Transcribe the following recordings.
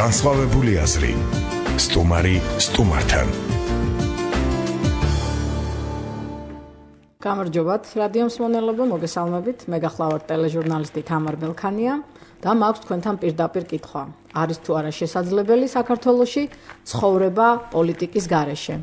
განსხვავებული აზრი. სტუმარი სტუმართან. გამარჯობათ, რადიო მსმენელებო, მოგესალმებით. მე გახლავართ ტელეჟურნალისტი თამარ ბელქანია და მაქვს თქვენთან პირდაპირ კითხვა. არის თუ არა შესაძლებელი საქართველოში ცხოვრება პოლიტიკის გარეშე?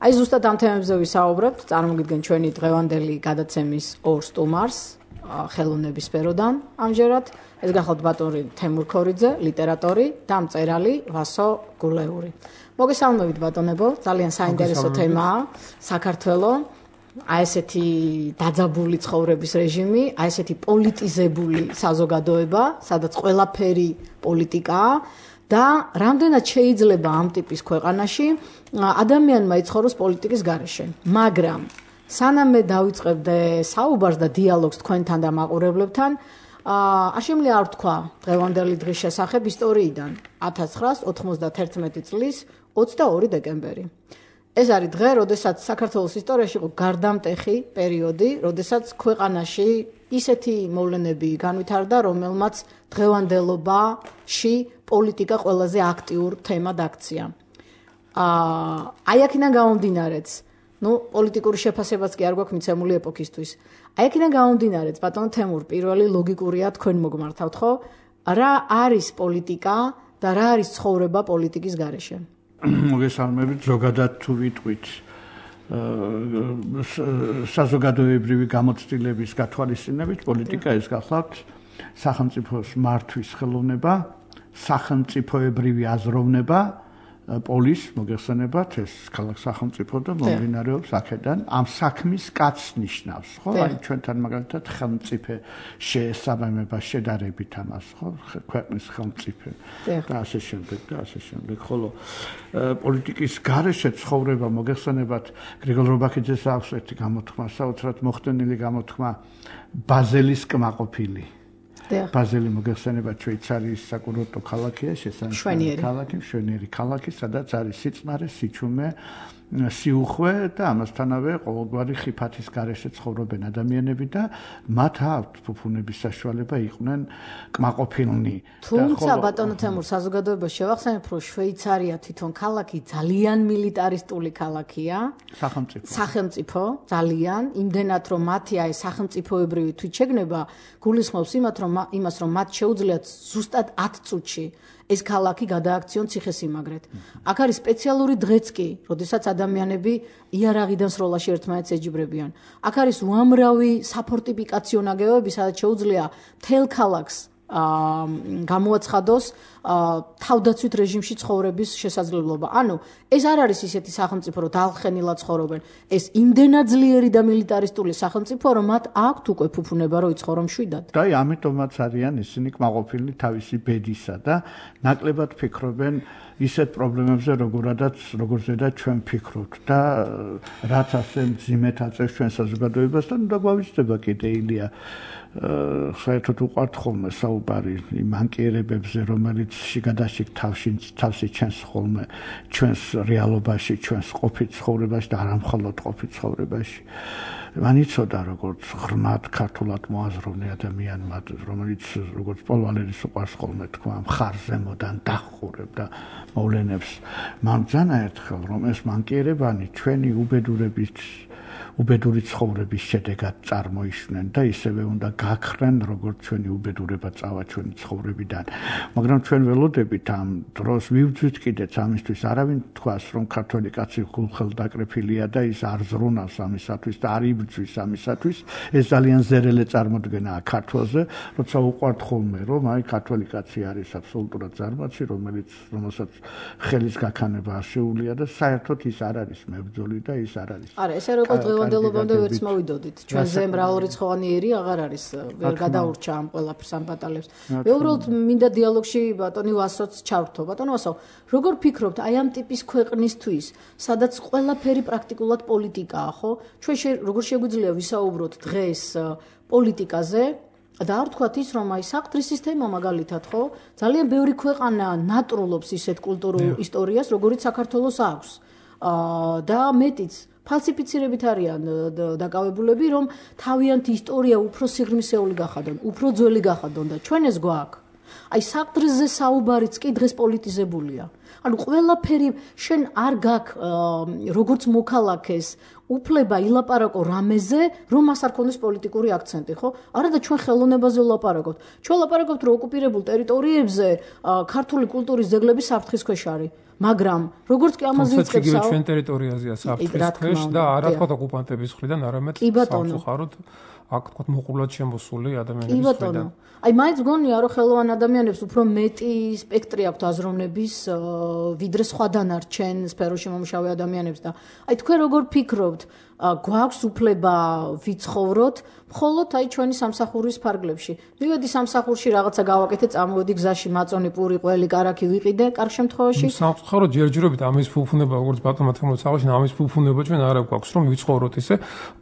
აი ზუსტად ამ თემებზე ვისაუბრებთ. წარმოგიდგენ ჩვენი დღევანდელი გადაცემის ორ სტუმარს ხელოვნების სფეროდან. ამჯერად ეს გახლავთ ბატონი თემურ ქორიძე, ლიტერატორი და მწერალი ვასო გულეური. მოგესალმებით ბატონებო, ძალიან საინტერესო თემაა საქართველო. აი ესეთი დაძაბული ცხოვრების რეჟიმი, აი ესეთი პოლიტიზებული საზოგადოება, სადაც ყველაფერი პოლიტიკაა და რამდენად შეიძლება ამ ტიპის ქვეყანაში ადამიანმა იცხოვროს პოლიტიკის გარეშე. მაგრამ სანამ მე დავიწყებდე საუბარს და დიალოგს თქვენთან და მაყურებლებთან, არ შემიძლია არ ვთქვა დღევანდელი დღის შესახებ ისტორიიდან 1991 წლის 22 დეკემბერი. ეს არის დღე, როდესაც საქართველოს ისტორიაში იყო გარდამტეხი პერიოდი, როდესაც ქვეყანაში ისეთი მოვლენები განვითარდა, რომელმაც დღევანდელობაში პოლიტიკა ყველაზე აქტიურ თემად აქცია. აი აქედან გამომდინარეც, პოლიტიკური შეფასებაც კი არ გვაქვს მიცემული ეპოქისთვის. აი აქედან გამომდინარეც, ბატონო თემურ, პირველი ლოგიკურია თქვენ მოგმართავთ, ხო? რა არის პოლიტიკა და რა არის ცხოვრება პოლიტიკის გარეშე? მოგესალმებით, ზოგადად თუ ვიტყვით საზოგადოებრივი გამოცდილების გათვალისწინებით, პოლიტიკა ეს გახლავთ სახელმწიფოს მართვის ხელოვნება, სახელმწიფოებრივი აზროვნება, პოლის მოგეხსენებათ ეს ქალაქ სახელმწიფო და მომდინარეობს აქედან ამ საქმის კაცს ნიშნავს, ხო? აი ჩვენთან მაგალითად ხელმწიფე შეესაბამება შედარებით ამას, ხო? ქვეყნის ხელმწიფე და ასე შემდეგ, ხოლო პოლიტიკის გარეშე ცხოვრება მოგეხსენებათ გრიგოლ რობაქიძეს აქვს ერთი გამოთქმა, საოცრად მოხდენილი გამოთქმა ბაზელის კმაყოფილი. ბაზელი მოგეხსენებათ შვეიცარიის საკურორტო ქალაქია, მშვენიერი ქალაქი, სადაც არის სიწყნარე, სიჩუმე, სიუხვე და ამასთანავე ყოველგვარი ხიფათის გარეშე ცხოვრობენ ადამიანები და მათ აქვთ ფუფუნების საშუალება იყვნენ კმაყოფილნი. თუმცა ბატონო თემურ, საზოგადოებას შევახსენებ, რომ შვეიცარია თვითონ ქალაქი ძალიან მილიტარისტული ქალაქია, სახელმწიფო ძალიან, იმდენად რომ მათი აი სახელმწიფოებრივი თვითშეგნება გულისხმობს იმას, რომ მათ შეუძლიათ ზუსტად 10 წუთში ეს ქალაქი გადააქციონ ციხესიმაგრედ. აქ არის სპეციალური დღეც კი, როდესაც ადამიანები იარაღიდან სროლაში ერთმანეთს ეჯიბრებიან. აქ არის უამრავი საფორტიფიკაციო ნაგებობები, სადაც შეუძლია მთელ ქალაქს გამოაცხადოს თავდაცვით რეჟიმში ცხოვრების შესაძლებლობა. ანუ ეს არ არის ისეთი სახელმწიფო, რომ დალხენილად ცხოვრობენ. ეს იმდენად ძლიერი და მილიტარისტული სახელმწიფო, რომ მათ აქვთ უკვე ფუფუნება, რომ იცხოვრო მშვიდად. და ამიტომაც არიან ისინი კმაყოფილი თავისი ბედისა და ნაკლებად ფიქრობენ ისეთ პრობლემებზე, როგორზედაც ჩვენ ფიქრობთ და რაც ასე მძიმედ აწევს ჩვენ საზოგადოებას და უნდა გვავიწყდება კიდე ილია საერთოდ უყვართ ხოლმე საუბარი იმ ანკიერებებზე, რომელიც შიგადაშიგ თავში ჩენს ხოლმე ჩვენს რეალობაში, ჩვენს ყოფით ცხოვრებაში და არა მხოლოდ ყოფით ცხოვრებაში. მან იცოდა როგორც ღრმად ქართულად მოაზროვნე ადამიანმა, რომელიც როგორც პოლვალერის უყვარს ხოლმე თქვა, მხარზემოდან დახურებდა მოვლენებს. მან ძანა ერთხელ, რომ ეს მანკიერებანი ჩვენი უბედური ცხოვრების შედეგად წარმოიშვნენ და ისევე უნდა გაქრენ, როგორც ჩვენი უბედურება წავა ჩვენი ცხოვრებიდან. მაგრამ ჩვენ ველოდებით ამ დროს ვივძვით კიდეც ამისთვის, არავინ თქვას, რომ ქართველი კაცი გულხელდაკრეფილია და ის არ ზრუნავს ამისათვის და არ იბრძვის ამისათვის. ეს ძალიან ზერელე წარმოდგენაა ქართველზე, როცა უყვართ ხოლმე, რომ აი ქართველი კაცი არის აბსოლუტურად ზარმაცი, რომელსაც ხელის გაქანება არ შეუძლია და საერთოდ ის არ არის მებრძოლი და ის არ არის. არა, ესე რომ დღევანდელობამდე ვერც მოვიდოდით. ჩვენზე მრავალრიცხოვანი ერი აღარ არის, ვერ გადაურჩა ამ ყველაფერს ამ ბატალებს. მე უბრალოდ მინდა დიალოგში ბატონი ვასოც ჩავრთო. ბატონო ვასო, როგორ ფიქრობთ აი ამ ტიპის ქვეყნისთვის, სადაც ყველაფერი პრაქტიკულად პოლიტიკაა, ხო? ჩვენ როგორ შეგვიძლია ვისაუბროთ დღეს პოლიტიკაზე? და არ თქვათ ის, რომ აი საყდრის სისტემა მაგალითად, ხო? ძალიან ბევრი ქვეყანა ნატრულობს ისეთ კულტურულ ისტორიას, როგორიც საქართველოს აქვს. და მეტიც ფალსიფიცირებით არიან დაკავებულები, რომ თავიანთი ისტორია უფრო სიღრმისეული გახადონ, უფრო ძველი გახადონ და ჩვენ ეს გვაქვს. აი საყდრზე საუბარიც კი დღეს პოლიტიზებულია. ანუ ყველაფერი შენ არ გაქვს როგორც მოქალაქეს უფლება ილაპარაკო რამეზე, რომ მას არ ქონდეს პოლიტიკური აქცენტი, ხო? არა და ჩვენ ხელოვნებაზე ვლაპარაკობთ. ჩვენ ვლაპარაკობთ, რომ ოკუპირებულ ტერიტორიებზე ქართული კულტურის ძეგლები საფრთხის ქვეშ არის. მაგრამ როგორც კი ამაზე იწყებსაო, ჩვენ ტერიტორიაზეა საფრთხის ქვეშ და არა თქვა ოკუპანტების მხრიდან, არამედ სამწუხაროდ აქ თქვა მოყოლად შემოსული ადამიანების მხრიდან. აი მაინც გონია რომ ხელოვან ადამიანებს უფრო მეტი სპექტრი აქვთ აზროვნების ვიდრე სხვა დანარჩენ სფეროში მომუშავე ადამიანებს და აი თქვენ როგორ ფიქრობთ გვაქვს უფლება ვიცხოვროთ მხოლოდ აი ჩვენი სამსახურის ფარგლებში. მივედი სამსახურში რაღაცა გავაკეთე, წამოვედი გზაში, მაწონი, პური, ყველი, კარაქი ვიყიდე, კარგ შემთხვევაში. სამწუხაროდ ჯერჯერობით ამის ფუფუნება, როგორც ბატონმა თემურს აღნიშნა, ამის ფუფუნება ჩვენ არ გვაქვს, რომ ვიცხოვროთ ისე.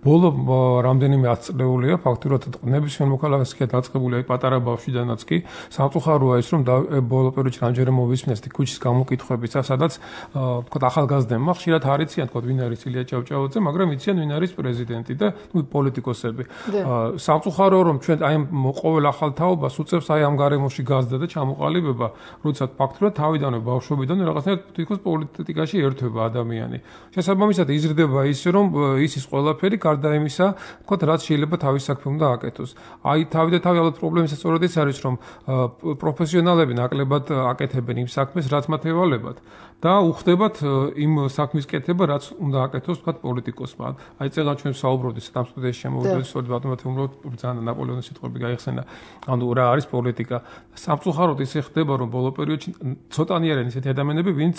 ბოლო რამდენიმე ათწლეულია ფაქტურად ნებისმიერ მოქალაქეს კი დაწყებული აი პატარა ბავშვიდანაც კი. სამწუხაროა ის, რომ ბოლო პერიოდში რამდენჯერ მოვისმინეს ქუჩის გამოკითხვებისა, სადაც თქვა ახალგაზრდებმა ხშირად არ იციან თქვა ვინ არის ილია ჭავჭავაძე, მაგრამ იციან ვინ არის პრეზიდენტი და პოლიტიკოსები. სამწუხარო რომ ჩვენ აი ყოველ ახალ თაობას უწევს აი ამ გარემოში გაზდა და ჩამოყალიბება, როდესაც ფაქტურად თავიდანვე ბავშვობიდანვე რაღაცნაირად თვითონ პოლიტიკაში ერთვება ადამიანი. შესაბამისად იზრდება ის რომ იცის ყველაფერი გარდა იმისა, თქვა რაც შეიძლება თავის საქმე უნდა აკეთოს. აი თავი და თავი ალბათ პრობლემისა სწორედ ის არის რომ პროფესიონალები ნაკლებად აკეთებენ იმ საქმეს, რაც მათ ევალებათ და უხდებათ იმ საქმის კეთება, რაც უნდა აკეთოს თქვა პოლიტიკოსმა. აი წელა ჩვენ საუბრობდით ამ სტუდიაში შემოვიდეს სწორედ ბატონმა თემუროვ ბრძანა ნაპოლეონის სიტყვები გაიხსენა. ანუ რა არის პოლიტიკა? სამწუხაროდ ისე ხდება რომ ბოლო პერიოდში ცოტანი არიან ისეთი ადამიანები, ვინც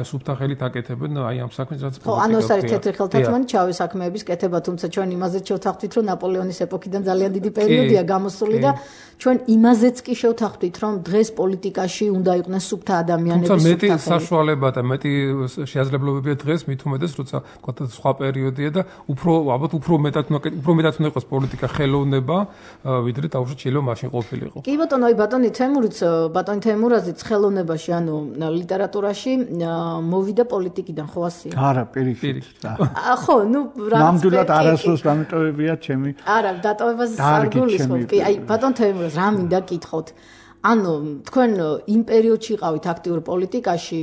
სუფთა ხელით აკეთებენ აი ამ საქმეს, რაც პოლიტიკა. ხო, ანუ ეს არის თეთრი ხელთათმანი ჩავე საქმეების კეთება, თუმცა ჩვენ იმაზეც შევთანხმდით, რომ ნაპოლეონის ეპოქიდან ძალიან დიდი პერიოდია გამოსული და ჩვენ იმაზეც კი შევთანხმდით, რომ დღეს პოლიტიკაში უნდა იყვნენ სუფთა ადამიანები, სუფთა მეტი საშუალება და მეტი შესაძლებლობებია დღეს მით უმეტეს, როცა თქვა სხვა პერიოდია და ალბათ უფრო მეტად უნდა იყოს პოლიტიკა ხელოვნება, ვიდრე დაუშვათ შეიძლება მაშინ ყოფილიყო. კი ბატონო, აი ბატონი თემურაზიც ხელოვნებაში, ანუ ლიტერატურაში მოვიდა პოლიტიკიდან, ხო ასია? არა, პირიქით. ხო, ნუ ნამდვილად არასდროს დამიტოვებია ჩემი. არა, დატოვებას არ გულისხმობ. კი, აი ბატონ თემურაზ, რა მინდა გითხოთ? ანუ თქვენ იმ პერიოდში იყავით აქტიურ პოლიტიკაში,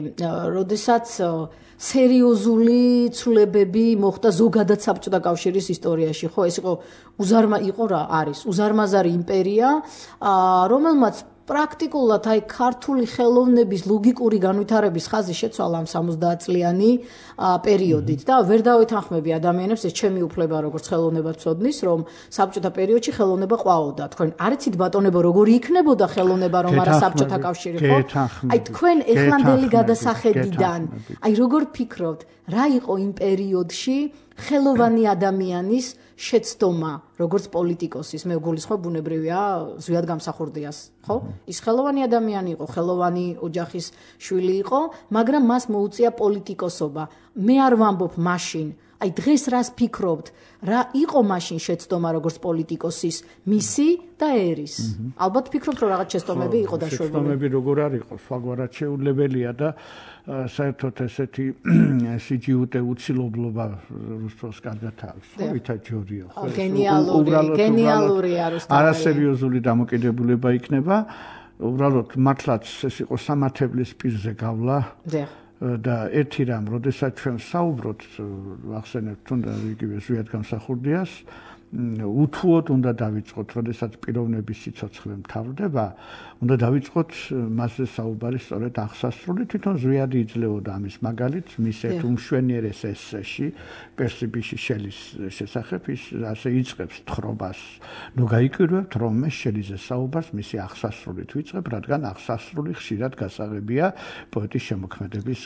როდესაც სერიოზული ცვლილებები მოხდა ზოგადად საბჭოთა კავშირის ისტორიაში, ხო, ეს იყო რა არის? უზარმაზარი იმპერია, რომელმაც პრაქტიკულად აი ქართული ხელოვნების ლოგიკური განვითარების ხაზი შეცვალა ამ 70 წლიანი პერიოდით და ვერ დავითანხმები ადამიანებს ეს ჩემი უფლება როგორც ხელოვნებაცოდნის რომ საბჭოთა პერიოდში ხელოვნება ყვაოდა. თქვენ არ იცით ბატონებო როგორი იქნებოდა ხელოვნება რომ არა საბჭოთა კავშირი, ხო? აი თქვენ ეხლანდელი გადასახედიდან აი როგორ ფიქრობთ რა იყო იმ პერიოდში ხელოვანი ადამიანის შეცდომა როგორც პოლიტიკოსის, მე გულისხმობ ბუნებრივია ზვიად გამსახურდიას, ხო? ის ხელოვანი ადამიანი იყო, ხელოვანი ოჯახის შვილი იყო, მაგრამ მას მოუწია პოლიტიკოსობა. მე არ ვამბობ მაშინ, აი დღეს რას ფიქრობთ, რა იყო მაშინ შეცდომა როგორც პოლიტიკოსის მისი და ერის? ალბათ ფიქრობთ რომ რაღაც შეცდომები იყო დაშვებული. შეცდომები როგორ არ იყო, სხვაგვარად შეუძლებელია და საერთოდ ესეთი სიჯიუტე უცილობლობა რუსთველს კარგად აქვს. ხო, ვითა ჯორიო, ხო. გენიალურია რუსთაველი. არასერიოზული დამოკიდებულება იქნება. უბრალოდ მართლაც ეს იყო სამართლებლის პირზე გავლა. და ერთი რამ, როდესაც ჩვენ საუბრობთ, ახსენებთ თუნდა იგივე ზვიად გამსახურდიას, უთუოდ უნდა დავიწყოთ, როდესაც პიროვნების სიცოცხლე მთავრდება, უნდა დავიწყოთ მასზე საუბარი სწორედ აღსასრული, თვითონ ზვიადი იძლეოდა ამის მაგალითს, მის ერთ უმშვენიერეს ესეში, პერსიბიში შელის შესახებ, ის ასე იწყებს თხრობას. ნუ გაიკვირვებთ, რომ მე შელიზე საუბარს მისი აღსასრულით ვიწყებ, რადგან აღსასრული ხშირად გასაღებია პოეტის შემოქმედების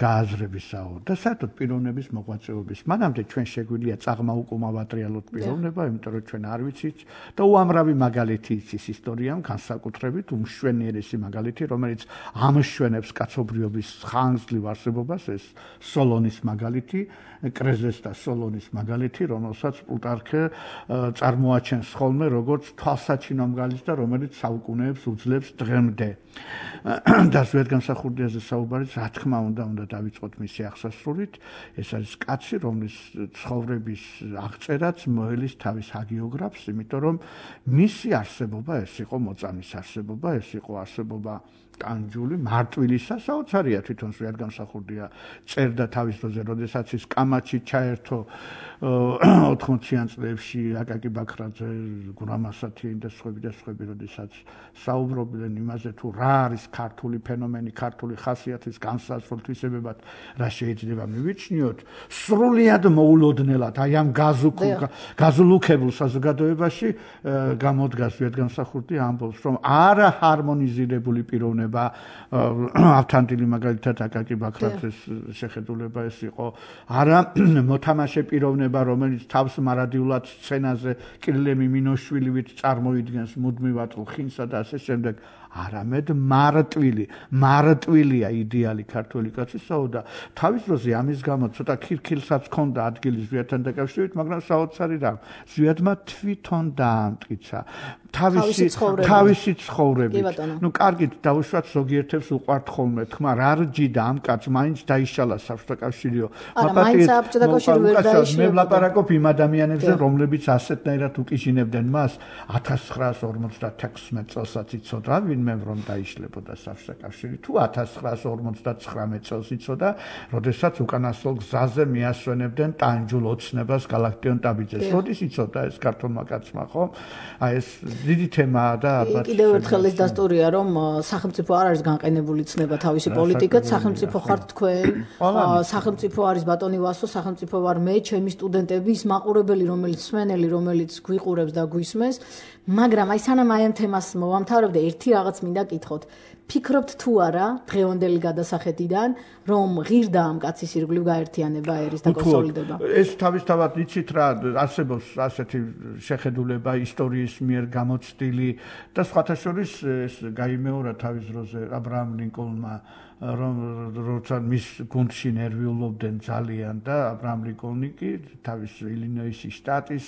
გააზრებისაო და საერთოდ პიროვნების მოღვაწეობის. მანამდე ჩვენ შეგვიძლია წაღმაუკუმა ვატრიალოთ პიროვნება, იმიტომ რომ ჩვენ არ ვიცით და უამრავი მაგალითი იცის ისტორიამ, განსაკუთრებით უმშვენიერესი მაგალითი, რომელიც ამშვენებს კაცობრიობის ხანგრძლივ არსებობას, ეს სოლონის მაგალითი, კრეზეს და სოლონის მაგალითი, რომელსაც პლუტარქე წარმოაჩენს ხოლმე როგორც თვალსაჩინო მაგალითს და რომელიც საუკუნეებს უძლებს დღემდე. და ზვიად გამსახურდიაზე საუბარიც, რა თქმა უნდა დავიწყოთ მისი აღსასრულით. ეს არის კაცი, რომლის ცხოვრების მიაღწერაც მოელის თავის ჰაგიოგრაფს, იმიტომ რომ მისი არსებობა ეს იყო მოწამის არსებობა, ეს იყო არსებობა კანჯული, მარტვილისა, საოცარია თვითონ ზვიადგამსახურდია წერდა თავის დროზე, როდესაც ის კამაჩი ჩაერთო 80-იან წლებში აკაკი ბაქრაძე, გურამ ასათიანი და სხვები, როდესაც საუბრობდნენ იმაზე თუ რა არის ქართული ფენომენი, ქართული ხასიათის განსაზღვრულ თვისებებად, რა შეიძლება მივიჩნიოთ, სრულიად მოულოდნელად, აი ამ გაზულუქებულ საზოგადოებაში გამოდგა ზვიადგამსახურდი ამბობს, რომ არა ჰარმონიზირებული პიროვნება ავთანტილი მაგალითად აკაკი ბაქრაძეს შეხედულება ეს იყო არა მოთამაშე პიროვნება რომელიც თავს მარადიულად სცენაზე კირილე მიმინოშვილივით წარმოიდგენს მუდმივად ხინსა და ასე შემდეგ არამედ მარტვილია იდეალი ქართული კაცისაო და თავის დროზე ამის გამო ცოტა ქირქილსაც ჰქონდა ადგილი ზვიადთან დაკავშირებით, მაგრამ საოცარი რა ზვიადმა თვითონ დაამტკიცა თავისი ცხოვრებით. ნუ კარგით დავუშვათ ზოგიერთებს უყვართ ხოლმე თქმა რა რჯიდა ამ კაცს მაინც დაიშალა საბჭოთა კავშირიო. მე ვლაპარაკობ იმ ადამიანებზე რომლებიც ასეთნაირად უკიჟინებდნენ მას 1956 წელსაც იცოდა ვინმე რომ დაიშლებოდა საბჭოთა კავშირი თუ 1959 წელს იცოდა როდესაც უკანასკნელ გზაზე მიასვენებდნენ ტანჯულ ოცნებას გალაქტიონ ტაბიძეს. როდის იცოდა ეს ქართულმა კაცმა ხო? აი ეს დიდი თემაა და კიდევ ერთხელ ეს დასტურია რომ სახელმწიფო არ არის განყენებული ცნება თავისი პოლიტიკით, სახელმწიფო ხართ თქვენ, სახელმწიფო არის ბატონი ვასო, სახელმწიფო ვარ მე, ჩემი სტუდენტები, ის მაყურებელი რომელიც სვენელი, რომელიც გვიყურებს და გვისმენს, მაგრამ აი სანამ აი ამ თემას მოვამთავრებ და ერთი რაღაც მინდა კითხოთ. ფიქრობთ თუ არა დღევანდელი გადასახედიდან რომ ღირდა ამ კაცის ირგვლივ გაერთიანება ერის და კონსოლიდება? ეს თავისთავად იცით რა არსებობს ასეთი შეხედულება ისტორიის მიერ გამოცდილი და სხვათა შორის ეს გაიმეორა თავის დროზე ა ブラ ამ ლინკოლნმა როცა მის გუნდში ნერვიულობდნენ ძალიან და ა ブラ ამ ლინკოლნი კი თავის ილინოისის შტატის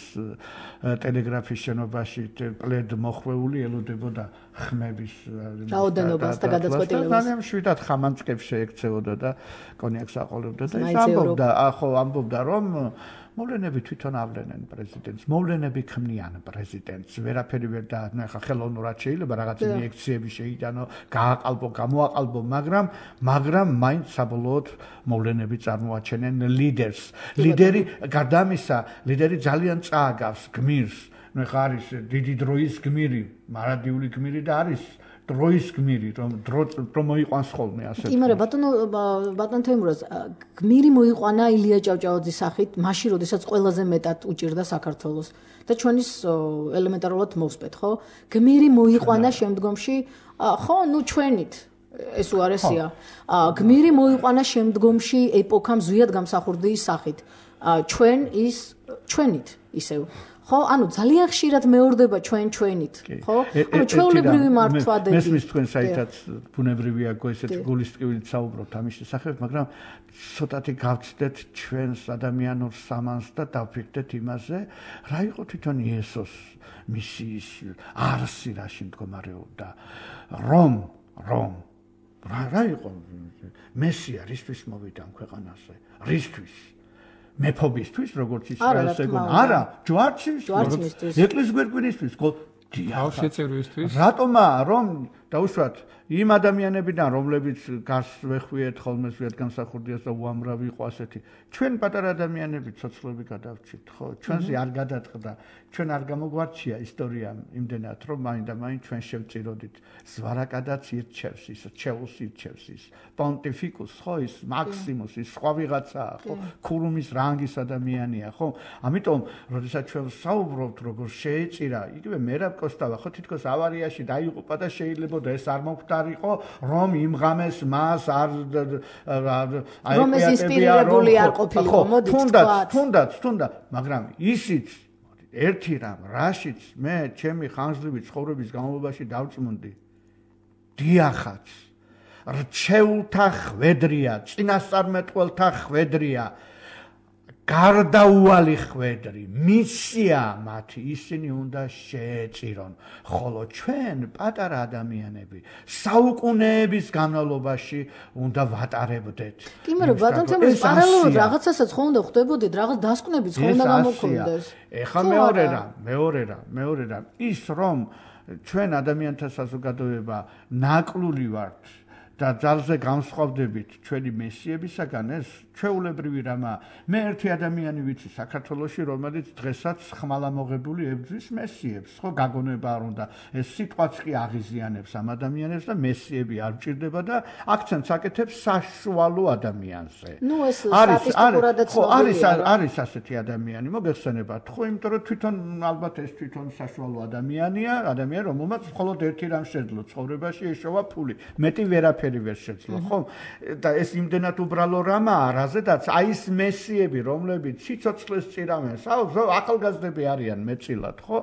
ტელეგრაფის შენობაში პლედ მოხვეული ელოდებოდა ხმების რაოდენობას და გადაწყვეტილებას. ძალიან შვიდად ხამანწკებს შეექცეოდა და კონიაკს აყოლებდა და ის ამბობდა რომ მოვლენები თვითონ ავლენენ პრეზიდენტს, მოვლენები ქმნიან პრეზიდენტს, ვერაფერი ვერ და ხა ხელოვნურად შეიძლება რაღაც ინიექციები შეიტანო, გააყალბო, გამოაყალბო, მაგრამ მაინც საბოლოოდ მოვლენები წარმოაჩენენ ლიდერს. ლიდერი გარდა ამისა, ლიდერი ძალიან წააგავს გმირს. ნუ ხა არის დიდი დროის გმირი, მარადიული გმირი და არის დროის გმირი, რომ მოიყვანს ხოლმე ასე. იმარე ბატონ თემურაზ, გმირი მოიყვანა ილია ჭავჭავაძის სახით, მაშინ როდესაც ყველაზე მეტად უჭირდა საქართველოს და ჩვენ ის ელემენტარულად მოვსპეთ, ხო? გმირი მოიყვანა შემდგომში, ხო, ნუ ჩვენით ეს უარესია. გმირი მოიყვანა შემდგომში ეპოქამ ზვიადგამსახურდიის სახით. ჩვენით ისევ ხო, ანუ ძალიან ხშირად მეორდება ჩვენით, ხო? ანუ ჩვეულებრივი მართვადები. მესმის თქვენ საერთოდ ბუნებრივია გოისეთ გულის ტკივილით საუბრობთ ამის შესახებ, მაგრამ ცოტათი გავცდეთ ჩვენს ადამიანურ სამანს და დავფიქრდეთ იმაზე, რა იყო თვითონ იესოს მისიის არსი რაში მდგომარეობდა. რომ რა იყო მესია რისთვის მოვიდა ამ ქვეყანაზე? რისთვის? მეფობისთვის, როგორც ისრაელს ეგონა. არა, ჯვარცმისთვის. ეკლესიის გვერგვინისთვის, შეწირვისთვის. რატომაა რომ დაუშვათ იმ ადამიანებიდან, რომლებიც გარს ვეხვიეთ ხოლმე ზვიადგამსახურდიას და უამრავი იყო ასეთი. ჩვენ პატარა ადამიანები ცოცხლები გადავჭით, ხო? ჩვენზე არ გადაწყდა, ჩვენ არ გამოგვარჩია ისტორია იმდენად, რომ მაინდა-მაინც ჩვენ შევწიროდით. ზვარაკადაც ირჩევს ის, ჩეულს ირჩევს ის. პონტიფიკუს, ხო, ის მაქსიმუს, ის სხვა ვიღაცაა, ხო? ქურუმის რანგის ადამიანია, ხო? ამიტომ, როდესაც ჩვენ საუბრობთ, როგორ შეეწირა, იგივე მერაბ კოსტავა, ხო, თითქოს ავარიაში დაიღუპა და შეიძლება და ეს არ მოხდარიყო, რომ იმ ღამეს მას არ რომ ეს ინსპირირებული არ ყოფილიყო, მოდით თუნდაც, მაგრამ ისიც ერთი რამ, რაშიც მე ჩემი ხანძლივი ცხოვრების განმავლობაში დავწმუნდი. დიახაც, რჩეულთა ხვედრია, წინასწარმეტყველთა ხვედრია. გარდაუვალი ხვედრი, მისია მათი, ისინი უნდა შეეწირონ, ხოლო ჩვენ პატარა ადამიანები საუკუნეების განმავლობაში უნდა ვატარებდეთ. კი, მაგრამ ბატონ თემურის პარალელურად რაღაცასაც ხო უნდა ხვდებოდეთ, რაღაც დასკვნებიც ხო უნდა გამოგხდეთ. ეხლა მეორე რამ, ის რომ ჩვენ ადამიანთა საზოგადოება ნაკლული ვართ და ძალზე განსხვავდებით ჩვენი მესიებისაგან, ეს ჩვეულებრივი რამა. მე ერთი ადამიანი ვიცი საქართველოში, რომელიც დღესაც ხმალამოღებული ებრძვის მესიებს, ხო, გაგონება არ უნდა. ეს სიტყვაც კი აღიზიანებს ამ ადამიანებს და მესიები არ ჭირდება და აქცენტს აკეთებს საშუალო ადამიანზე. ნუ ეს სტატისტიკურადაც არის ასეთი ადამიანი, მოგეხსენებათ, ხო, იმიტომ რომ თვითონ ალბათ ეს თვითონ საშუალო ადამიანია, რომელმაც მხოლოდ ერთი რამ შეძლო ცხოვრებაში, ეშოვა ფული. მეტი ვერაფერი ვერ შეძლო, ხო? და ეს იმდენად უბრალო რამაა, რაზედაც აი ეს მესიები, რომლებიც სიცოცხლეს წირავენ, ახალგაზრდები არიან მეწილად, ხო?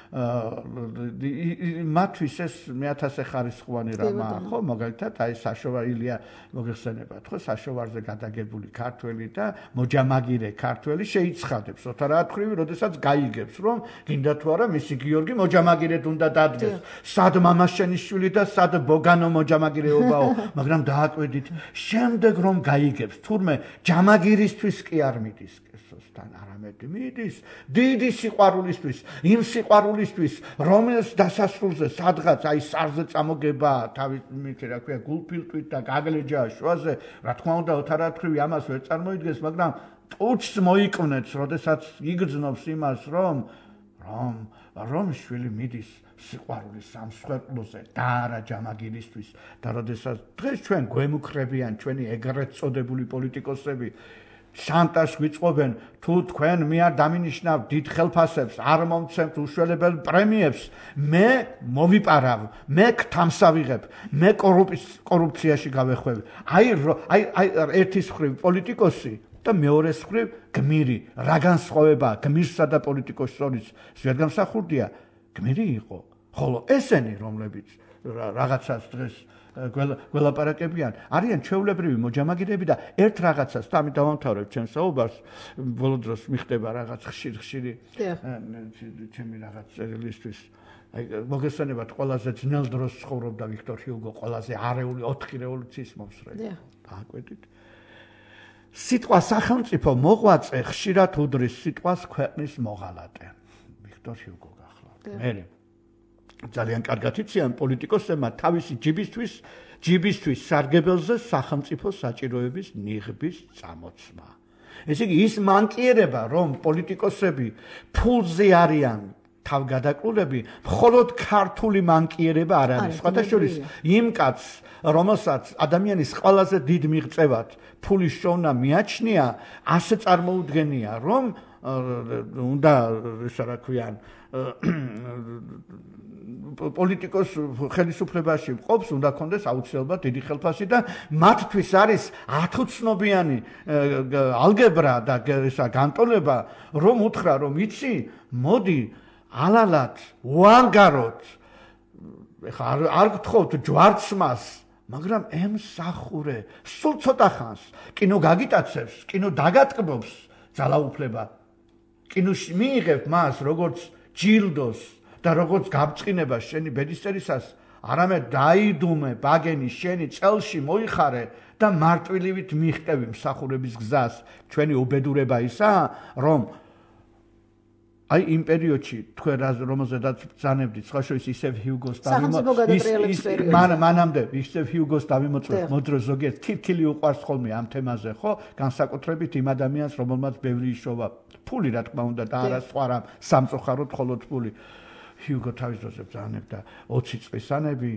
მათთვის ეს მე-1000 ხარისხოვანი რამაა, ხო? მაგალითად, აი საშოვა ილია მოგეხსენებათ, ხო? საშოვარზე გადაგებული ქართველი და მოჯამაგირე ქართველი შეიცხადებს, ოთა რა თქვრივი, როდესაც გაიგებს, რომ გინდა თუ არა მისი გიორგი მოჯამაგირედ უნდა დადგეს. სად მამაშენიშვილი და სად ბოგანო მოჯამაგირეობაო, მაგრამ დააკვედით, შემდეგ რომ გაიგებს, თურმე ჯამაგირისთვის კი არ მიდის კესოსთან, არამედ მიდის დიდი სიყვარულისთვის, იმ სიყვარულისთვის, რომელიც დასასრულზე სადღაც აი სარზე წამოგება, თავის რა ქვია, გულფილტვით და გაგლეჯა შუაზე, რა თქმა უნდა, ოთარათქვრივი ამას ვერ წარმოიდგენს, მაგრამ ტუჩს მოიკვნეთს, როდესაც იგრძნობს იმას, რომ შვილი მიდის სიყვარულის სამსხვერპლოზე და არა ჯამაგირისთვის და როდესაც დღეს ჩვენ გვემუქრებიან ჩვენი ეგრეთ წოდებული პოლიტიკოსები შანტაჟს გვიწყობენ, თუ თქვენ მე არ დამინიშნავ დიდ ხელფასებს, არ მომცემთ უშველებელ პრემიებს, მე მოვიპარავ, მე გთამსავიღებ, მე კორუფციაში გავეხვევი. აი ერთის მხრივ პოლიტიკოსი და მეორეს მხრივ გმირი, რა განსხვავება გმირსა და პოლიტიკოსის შორის ვერ გამსახურდია, გმირი იყო, ხოლო ესენი, რომლებიც რაღაცას დღეს გველაპარაკებიან, არიან ჩვეულებრივი მოჯამაგირეები და ერთ რაღაცას, და ამით დავამთავრებ ჩემს საუბარს, ბოლო დროს მიხდება რაღაც ხშირი ჩემი რაღაც წერილისთვის. აი მოგესალმებათ, ყველაზე ძნელ დროს ცხოვრობდა ვიქტორ ჰიუგო, ყველაზე არეული 4 რევოლუციის მომსვლელი. დააკვეთით. სიტყვა სახელმწიფო მოღვაწე ხშირად უდრის სიტყვას ქვეყნის მოღალატე. ვიქტორ ჰიუგო გახლავთ. მე ძალიან კარგად იციან პოლიტიკოსებმა თავისი ჯიბისთვის სარგებელზე სახელმწიფო საჭიროების ნიღბის წამოწმა. ესე იგი ის მანკიერება, რომ პოლიტიკოსები ფულზე არიან თავგადაკრულები, მხოლოდ ქართული მანკიერება არ არის. სხვათა შორის იმ კაცს, რომელსაც ადამიანის ყველაზე დიდ მიღწევად ფულის შოვნა მიაჩნია, ასე წარმოუდგენია, რომ უნდა ისა რა ქვიან პოლიტიკოს ხელისუფლებაში მყოფს, უნდა კონდეს აუცილებლად დიდი ხელფასი და მათთვის არის ათუცნობიანი ალგებრა და ისა განტოლება, რომ უთხრა, რომ იცი, მოდი ალალად, უანგაროთ, ეხლა არ გთხოვთ ჯვარცმას, მაგრამ ემსახურე, სულ ცოტა ხანს, კინო გაგიტაცებს, კინო დაგატკბობს, ძალაუფლება, კინოში მიიღებ მას, როგორც ჯილდოს და როგორც გაბწყინება შენი ბედისწერისას, არამედ დაიდუმე ბაგენი შენი წელში მოიხარე და მარტვილივით მიხტევი მსახურების გზას. ჩვენი უბედურება ისაა, რომ აი იმ პერიოდში თქვენ რომელზედაც ბრძანებდით, სხვა შორის ისევ ჰიუგოს მანამდე ისევ ჰიუგოს დავიმოწმეთ, მოდრო ზოგიერთ თირქილი უყვარს ხოლმე ამ თემაზე, ხო? განსაკუთრებით იმ ადამიანს, რომელმაც ბევრი იშოვა ფული, რა თქმა უნდა, და არა სხვა რამ, სამწუხაროდ მხოლოდ ფული. ჰიუგო თავის დროზე ბრძანებდა 20 წლისანები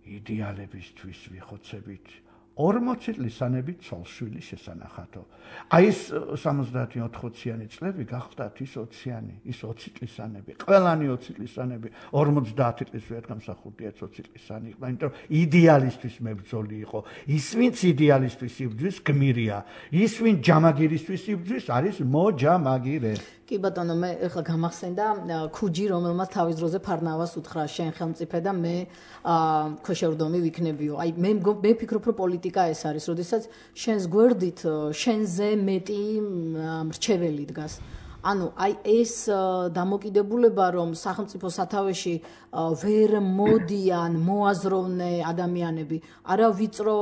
იდეალებისთვის ვიხოცებით, 40 წლისანები ცოლშვილი შესანახათო. აი ეს 70-80-იანი წლები გახდათ ის 20-იანი, ის 20 წლისანები, ყველანი 20 წლისანები, 50 წლის ვერ გამსახურდია 20 წლისანი იყო, იმიტომ რომ იდეალისტვის მებრძოლი იყო. ის ვინც იდეალისტვის იბრძვის გმირია, ის ვინც ჯამაგირისთვის იბრძვის არის მოჯამაგირე. კი ბატონო, მე ეხლა გამახსენდა ქუჯი, რომელმაც თავის დროზე ფარნავას უთხრა, შენ ხელმწიფე და მე ქვეშევრდომი ვიქნებიო. აი მე ვფიქრობ, რომ პოლიტიკა ეს არის, როდესაც შენს გვერდით შენზე მეტი მრჩეველი დგას. ანუ აი ეს დამოკიდებულება, რომ სახელმწიფო სათავეში ვერ მოდიან მოაზროვნე ადამიანები, არა ვიწრო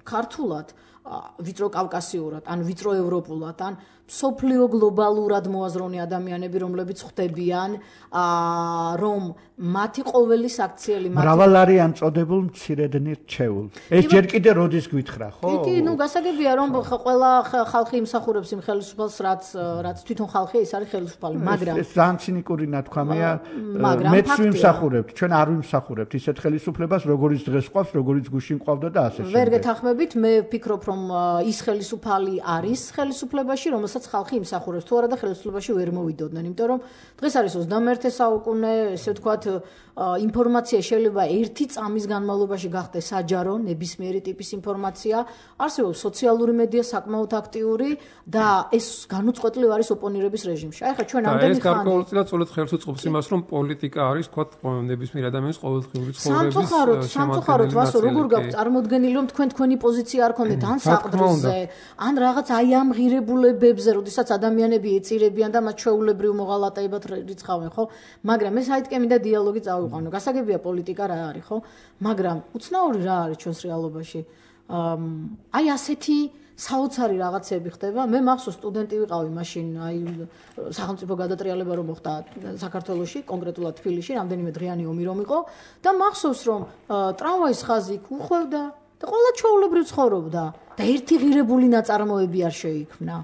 ქართულად, ვიწრო კავკასიურად, ან ვიწრო ევროპულად, ან სოფლიო გლობალურად მოაზროვნე ადამიანები, რომლებიც ხვდებიან, რომ მათი ყოველი საქციელი მრავალარიან წოდებულ მცირედნი რჩეულ. ეს ჯერ კიდე როდის გვითხრა, ხო? კი, გასაგებია, რომ ყველა ხალხი იმსახურებს იმ ხელისუფალს, რაც თვითონ ხალხი ის არის ხელისუფალი, მაგრამ ეს ძალიან ცინიკური ნათქვამია. მეც ვიმსახურებთ, ჩვენ არ ვიმსახურებთ ისეთ ხელისუფლებას, როგორიც დღეს ყავს, როგორიც გუშინ ყავდა და ასე შემდეგ. ვერ გეთანხმებით, მე ვფიქრობ, რომ ის ხელისუფალი არის ხელისუფლებაში, რომელსაც ხალხი იმსახურებს, თუ არა და ხელისუფლებაში ვერ მოვიდოდნენ, იმიტომ რომ დღეს არის 21 საუკუნე, ესე ვთქვათ, ინფორმაცია შეიძლება ერთი წამის განმავლობაში გახდეს საჯარო, ნებისმიერი ტიპის ინფორმაცია, არსებობს სოციალური მედია საკმაოდ აქტიური და ეს განუწყვეტლივ არის ოპონირების რეჟიმში. აი ხა ჩვენ ამდენი ხანი ეს გარკვეულწილად სწორედ ხელს უწყობს იმას, რომ პოლიტიკა არის, ვთქვათ, ნებისმიერ ადამიანის ყოველდღიური ცხოვრების სამწუხაროდ ვასო, როგორ გაქვთ წარმოდგენილი, რომ თქვენი პოზიცია არ ქონდეთ ან საყდრზე, ან რაღაც აი ამ ღირებულებებზე, როდესაც ადამიანები ეწირებიან და მათ ჩვეულებრივ მოღალატეებად რიცხავენ, ხო? მაგრამ ეს აიტკე მინდა დიალოგი წავიყვანო. გასაგებია პოლიტიკა რა არის, ხო? მაგრამ უცნაური რა არის ჩვენს რეალობაში? აი ასეთი საოცარი რაღაცები ხდება. მე მახსოვს სტუდენტი ვიყავი მაშინ, აი სახელმწიფო გადატრიალება რომ მოხდა საქართველოში, კონკრეტულად თბილისში, რამდენიმე დღიანი ომი რომ იყო და მახსოვს რომ ტრამვაის ხაზი იქ უხვევდა და ყველა ჩვეულებრივ ცხოვრობდა და ერთი ღირებული ნაწარმოები არ შეიქმნა.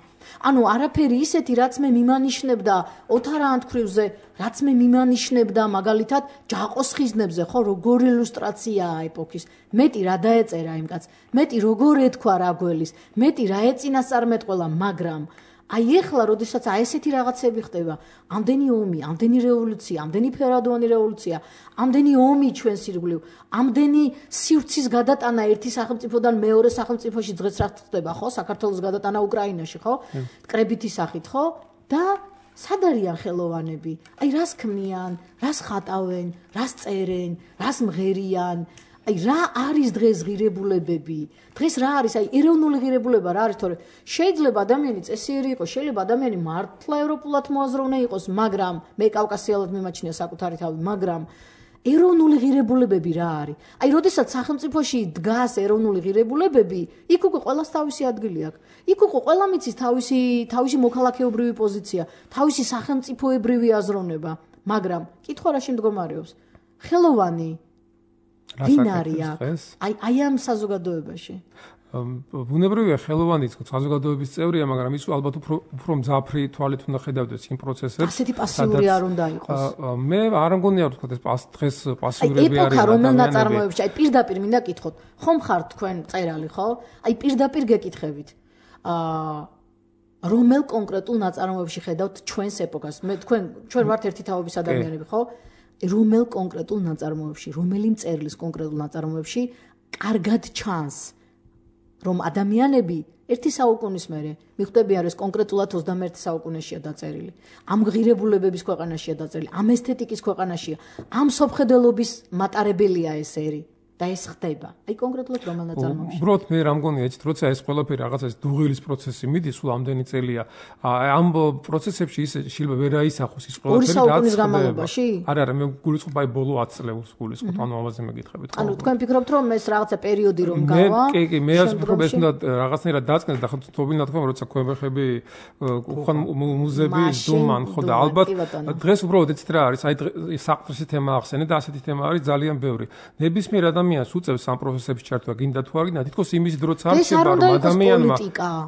ანუ არაფერი ისეთი, რაც მე მიმანიშნებდა ოთარ ანთქვრივზე, რაც მე მიმანიშნებდა მაგალითად ჯაყოს ხიზნებზე, ხო, როგორი ილუსტრაციაა ეპოქის. მეტი რა დაეწერა იმ კაცს, მეტი როგორ ეთქვა რაგველის, მეტი რა ეწინასწარმეტყველა, მაგრამ აი ეხლა, როდესაც აი ესეთი რაღაცები ხდება, ამდენი ომი, ამდენი რევოლუცია, ამდენი ფერადოვანი რევოლუცია, ამდენი ომი ჩვენს ირგვლივ, ამდენი სივრცის გადატანა ერთი სახელმწიფოდან მეორე სახელმწიფოში დღეს რა ხდება, ხო? საქართველოს გადატანა უკრაინაში, ხო? კრებითი სახით, ხო? და სად არიან ხელოვანები? აი რას ქმნიან, რას ხატავენ, რას წერენ, რას მღერიან? აი რა არის დღეს ღირებულებები? დღეს რა არის? აი ეროვნული ღირებულება რა არის? თორე შეიძლება ადამიანი წესიერი იყოს, შეიძლება ადამიანი მართლა ევროპულად მოაზროვნე იყოს, მაგრამ მე კავკასიელად მიმაჩნია საკუთარი თავი, მაგრამ ეროვნული ღირებულებები რა არის? აი როდესაც სახელმწიფოში დგას ეროვნული ღირებულებები, იქ უკვე ყველას თავისი ადგილი აქვს. იქ უკვე ყველა მიცის თავისი მოქალაქეობრივი პოზიცია, თავისი სახელმწიფოებრივი აზროვნება, მაგრამ კითხვა რაში მდგომარეობს? ხელოვანი ვინ არის აქ? აი ამ საზოგადოებაში. ბუნებრივია ხელოვანიც საზოგადოების წევრია, მაგრამ ის ალბათ უფრო მძაფრი თვალით უნდა ხედავდეს იმ პროცესებს. ასეთი პასიური არ უნდა იყოს. მე არ მგონია რომ თქვა ეს დღეს პასიურები არიან. ეპოქა რომელ ნაწარმოებებში, აი პირდაპირ მინდა კითხოთ. ხომ ხართ თქვენ წერალი, ხო? აი პირდაპირ გეკითხებით. რომელ კონკრეტულ ნაწარმოებში ხედავთ ჩვენს ეპოქას? მე ჩვენ ვართ ერთი თაობის ადამიანები, ხო? რომელ კონკრეტულ ნაწარმოებში, რომელი მწერლის კონკრეტულ ნაწარმოებში კარგად ჩანს, რომ ადამიანები ერთი საუკუნის მერე მიხვდებიან, ეს კონკრეტულად 21 საუკუნეშია დაწერილი. ამ ღირებულებების ქვეყანაშია დაწერილი, ამ ესთეტიკის ქვეყანაშია, ამ სოფხედელობის მატარებელია ეს ერი. და ეს ხდება. აი კონკრეტულად რომელ ნაწარმოებში? უბრალოდ მე რა მგონია, იცით, როცა ეს ყველაფერი რაღაცა ეს დუღილის პროცესი მიდის, სულ ამდენი წელია. ამ პროცესებში ის შეიძლება ვერ აისახოს ის ყველაფერი, რაც საუკუნის განმავლობაში? არა, მე გულისხმობ აი ბოლო 10 წლებს გულისხმობ, ანუ ამაზე მეკითხებით. ანუ თქვენ ფიქრობთ, რომ ეს რაღაცა პერიოდი რომ გავა? კი, მე ასე ვფიქრობ, ეს უნდა რაღაცნაირად დაწყდეს და თობინა თქვა, როცა ქვემეხები ხან მუზეები დუმან, ხო და ალბათ დღეს უბრალოდ ეცით რა არის, აი საყდრისი თემა ახსენე და ასეთი თემა არის ძალიან ბევრი. ნებისმიერ ადამიანს უწევს ამ პროცესებში ჩართვა, გინდა თუ არ გინდა, თითქოს იმის დროც არ ხდება, რომ ადამიანმა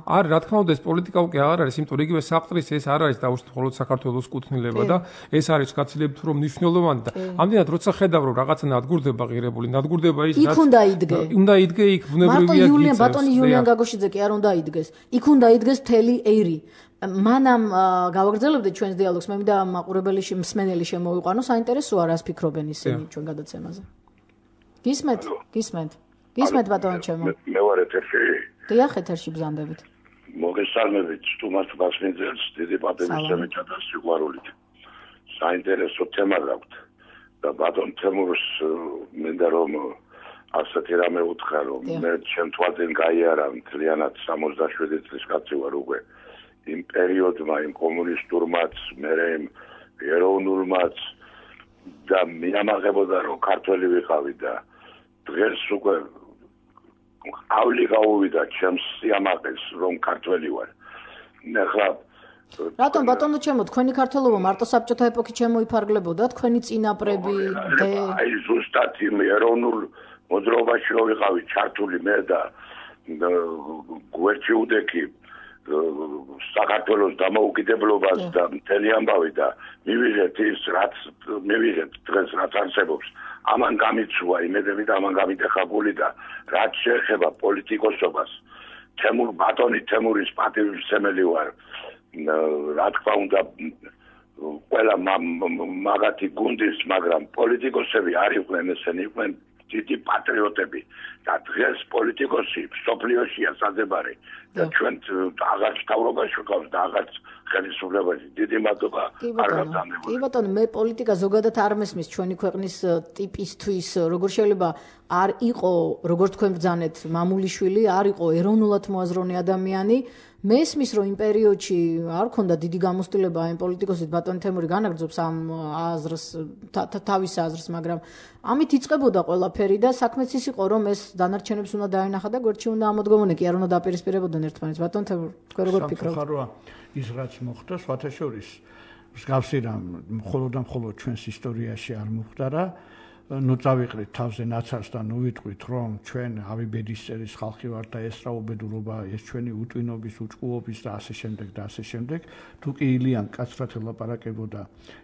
არ რა თქმა უნდა ეს პოლიტიკა უკვე აღარ არის, იმიტომ რომ იგივე საყდრის ეს არ არის დაუშვით მხოლოდ საქართველოს კუთვნილება და ეს არის გაცილებით უფრო მნიშვნელოვანი და ამდენად როცა ხედავ რომ რაღაცა ნადგურდება ღირებული, ნადგურდება ის რაც უნდა იდგე იქ ბუნებრივია ბატონი იულიან გაგოშიძე კი არ უნდა იდგეს. იქ უნდა იდგეს მთელი ერი. მანამ გავაგრძელებდეთ ჩვენს დიალოგს, მე მინდა მაყურებელი მსმენელი შემოვიყვანო, საინტერესოა რას ფიქრობენ ისინი ჩვენ გადაცემაზე. გისმენთ? გისმენთ ბატონო ჩემო. მე ვარ ეთერში. დიახ, ეთერში ბრძანდებით. მოგესალმებით სტუმარს ბასმიძელს დიდი პატივისცემით და სიყვარულით. საინტერესო თემა გაქვთ და ბატონ თემურს მინდა რომ ასეთი რამე უთხრა რომ მე ჩემ თვალწინ გაიარა მთლიანად 67 წლის კაცი ვარ უკვე იმ პერიოდმა იმ კომუნისტურმაც მერე იმ ეროვნულმაც და მიამაღებოდა რომ ქართველი ვიყავი და დღეს უკვე ავლი გაუვიდა ჩემს სიამაყეს რომ ქართველი ვარ. ახლა რატომ ბატონო ჩემო თქვენი ქართველობა მარტო საბჭოთა ეპოქით შემოიფარგლებოდა თქვენი წინაპრები აი ზუსტად იმ ეროვნულ მოძრაობაში რო ვიყავი ჩართული მე და გვერდში უდექი საქართველოს დამოუკიდებლობას და მთელი ამბავი და მივიღეთ ის რაც მივიღეთ დღეს რაც არსებობს ამან გამიცვა იმედები და ამან გამიტეხა გული და რაც შეეხება პოლიტიკოსობას თემურის პატივისცემელი ვარ რა თქმა უნდა ყველა მაგათი გუნდის მაგრამ პოლიტიკოსები არ იყვნენ ესენი იყვნენ დიდი პატრიოტები და დღეს პოლიტიკოსი სოფლიოშია საზებარი და ჩვენ აღარ თავრობაში ვიყავთ და აღარ ხელისუფლებაში დიდი მადლობა არ გაგზავნებულა. კი ბატონო მე პოლიტიკა ზოგადად არ მესმის ჩვენი ქვეყნის ტიპისთვის როგორ შეიძლება არ იყო როგორც თქვენ ბრძანეთ მამულიშვილი არ იყო ეროვნულად მოაზროვნე ადამიანი მესმის რომ იმ პერიოდში არ ქონდა დიდი გამოცდილება ამ პოლიტიკოსით ბატონ თემური განაგრძობს ამ აზრს თავის აზრს მაგრამ ამით იწყებოდა ყველაფერი და საქმეც ის იყო რომ ეს დანარჩენებს უნდა დაენახა და გვერდში უნდა ამოდგომოდნენ კი არ უნდა დაპირისპირებოდნენ ერთმანეთს ბატონ თემური თქვენ როგორ ფიქრობთ ის რაც მოხდა სხვათა შორის მსგავსი რამ მხოლოდ და მხოლოდ ჩვენს ისტორიაში არ მოხდა ნუ წავიყრით თავზე ნაცარს და ნუ ვიტყვით რომ ჩვენ ავიბედისწერის ხალხი ვართ და ეს რა უბედურობა ეს ჩვენი უტვინობის უჭკუობის და ასე შემდეგ და ასე შემდეგ თუ კი ილიან კაცრად ელაპარაკებოდა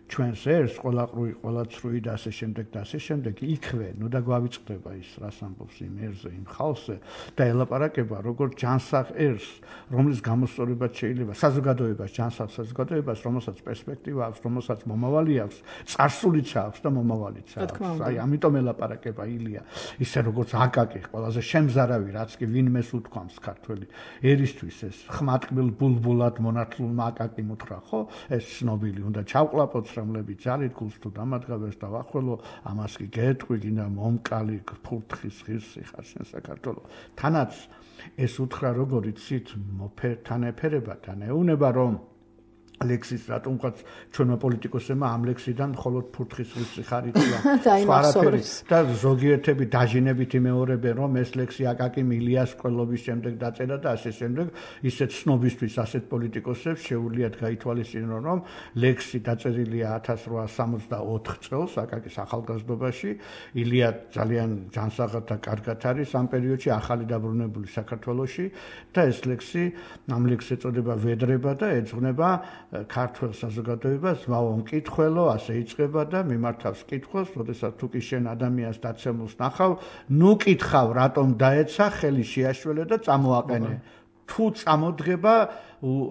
ჩვენს ერს ყველაყრუი ყველაცრუი და ასე შემდეგ და ასე შემდეგ იქვე ნუ და გვავიწყდება ის რას ამბობს იმ ერზე იმ ხალხზე და ელაპარაკება როგორც ჯანსაღ ერს რომლის გამოსწორებაც შეიძლება საზოგადოებას ჯანსაღ საზოგადოებას რომელსაც პერსპექტივა აქვს რომელსაც მომავალი აქვს წარსულიც აქვს და მომავალიც აქვს აი ამიტომ ელაპარაკება ილია ისე როგორც აკაკი ყველაზე შემზარავი რაც კი ვინმეს უთქვამს ქართველი ერისთვის ეს ხმატკბილ ბულბულად მონათლულმა აკაკი მუთხრა ხო ეს ცნობილი უნდა ჩავყლაპოთ რომლები ძალით გულს თუ დამადგავებს და ვახველო ამას კი გეტყვი გინდა მომკალი ფურთხის ღირსი ხარ შენ საქართველო თანაც ეს უთხრა როგორ იცით მოფერთან ეფერება თან ეუნება რომ ლექსის რატომღაც ჩვენმა პოლიტიკოსებმა ამ ლექსიდან მხოლოდ ფურთხის ღირსი ხარიცია და ზოგიერთები დაჟინებით იმეორებენ რომ ეს ლექსი აკაკი მილიას ყოლობის შემდეგ დაწერა და ასე შემდეგ ისეთ ცნობისთვის ასეთ პოლიტიკოსებს შეუძლიათ გაითვალისწინონ რომ ლექსი დაწერილია 1864 წელს აკაკის ახალგაზრდობაში ილია ძალიან ჯანსაღად და კარგად არის ამ პერიოდში ახალი დაბრუნებული საქართველოში და ეს ლექსი ამ ლექსს ეწოდება ვედრება და ეძღვნება ქართულ საზოგადოებას ზვაო მკითხველო ასე იწყება და მიმართავს კითხვას, როდესაც თუ კი შენ ადამიანს დაცემულს ნახავ, ნუ კითხავ, რატომ დაეცა, ხელი შეაშველე და წამოაყენე. თუ წამოდგება,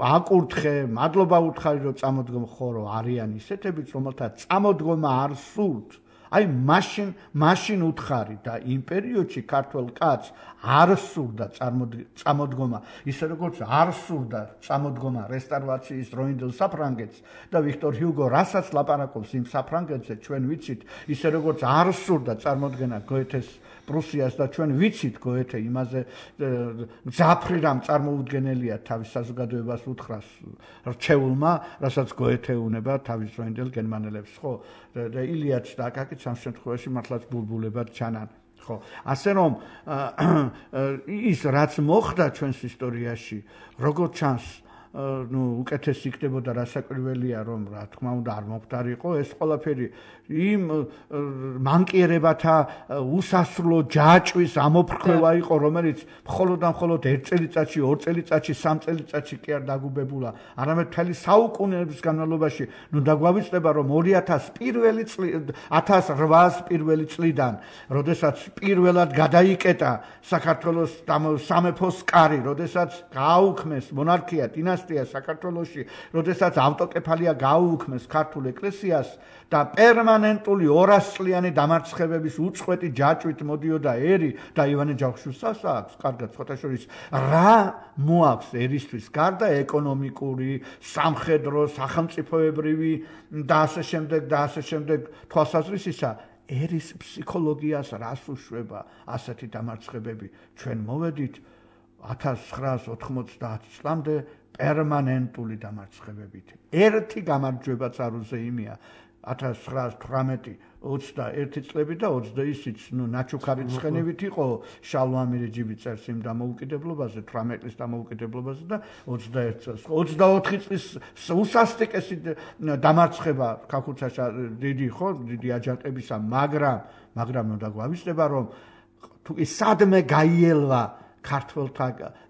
აკურთხე, მადლობა უთხარი, რომ წამოდგომ ხორო არიან ისეთებიც, რომელთა წამოდგომა არ სურთ. აი მაშინ უთხარი და იმ პერიოდში ქართველ კაცს არ სურდა წამოდგომა ისე როგორც არ სურდა წამოდგომა რესტავრაციის დროინდელ საფრანგეთს და ვიქტორ ჰიუგო რასაც ლაპარაკობს იმ საფრანგეთზე ჩვენ ვიცით ისე როგორც არ სურდა წარმოდგენა გოეთეს პრუსიას და ჩვენ ვიცით გოეთე იმაზე ძაფრი რამ წარმოუდგენელია თავის საზოგადოებას უთხრას რჩეულმა რასაც გოეთე უნება თავის დროინდელ გერმანელებს ხო და ილიაც და აკაკიც ამ შემთხვევაში მართლაც ბულბულებად ჩანან ხო ასე რომ ის რაც მოხდა ჩვენს ისტორიაში როგორც ჩანს ნუ უკეთესი იქნებოდა რასაკვირველია რომ რა თქმა უნდა არ მომხდარიყო ეს ყველაფერი იმ მანკიერებათა უსასრულო ჯაჭვის ამოფრქვევა იყო რომელიც მხოლოდ და მხოლოდ 1 წელიწადში 2 წელიწადში 3 წელიწადში კი არ დაგუბებულა არამედ მთელი საუკუნეების განმავლობაში ნუ დაგვავიწყდება რომ 1800 პირველი წლიდან როდესაც პირველად გადაიკეტა საქართველოს სამეფოს კარი როდესაც გააუქმეს მონარქია დინასტია დინასტია საქართველოში, როდესაც ავტოკეფალია გაუუქმეს ქართულ ეკლესიას და პერმანენტული 200 წლიანი დამარცხებების უწყვეტი ჯაჭვით მოდიოდა ერი და ივანე ჯავახიშვილს აქვს, კარგად ხოთაშორის რა მოაქვს ერისთვის გარდა ეკონომიკური, სამხედრო, სახელმწიფოებრივი და ასე შემდეგ თვალსაზრისისა ერის ფსიქოლოგიას რას უშვება ასეთი დამარცხებები ჩვენ მოვედით 1990 წლამდე პერმანენტული დამარცხებებით ერთი გამარჯვებაც არ უზეიმია 1918-21 წლები და 20-იც ნაჩუქარი ცხენივით იყო შალვამი რეჯიბი წერს იმ დამოუკიდებლობაზე 18 წლის დამოუკიდებლობაზე და 21 წელს 24 წლის უსასტიკესი დამარცხება ქაქუცაში დიდი აჯანყებისა მაგრამ უნდა გვავისდება რომ თუ კი სადმე გაიელვა ქართველთა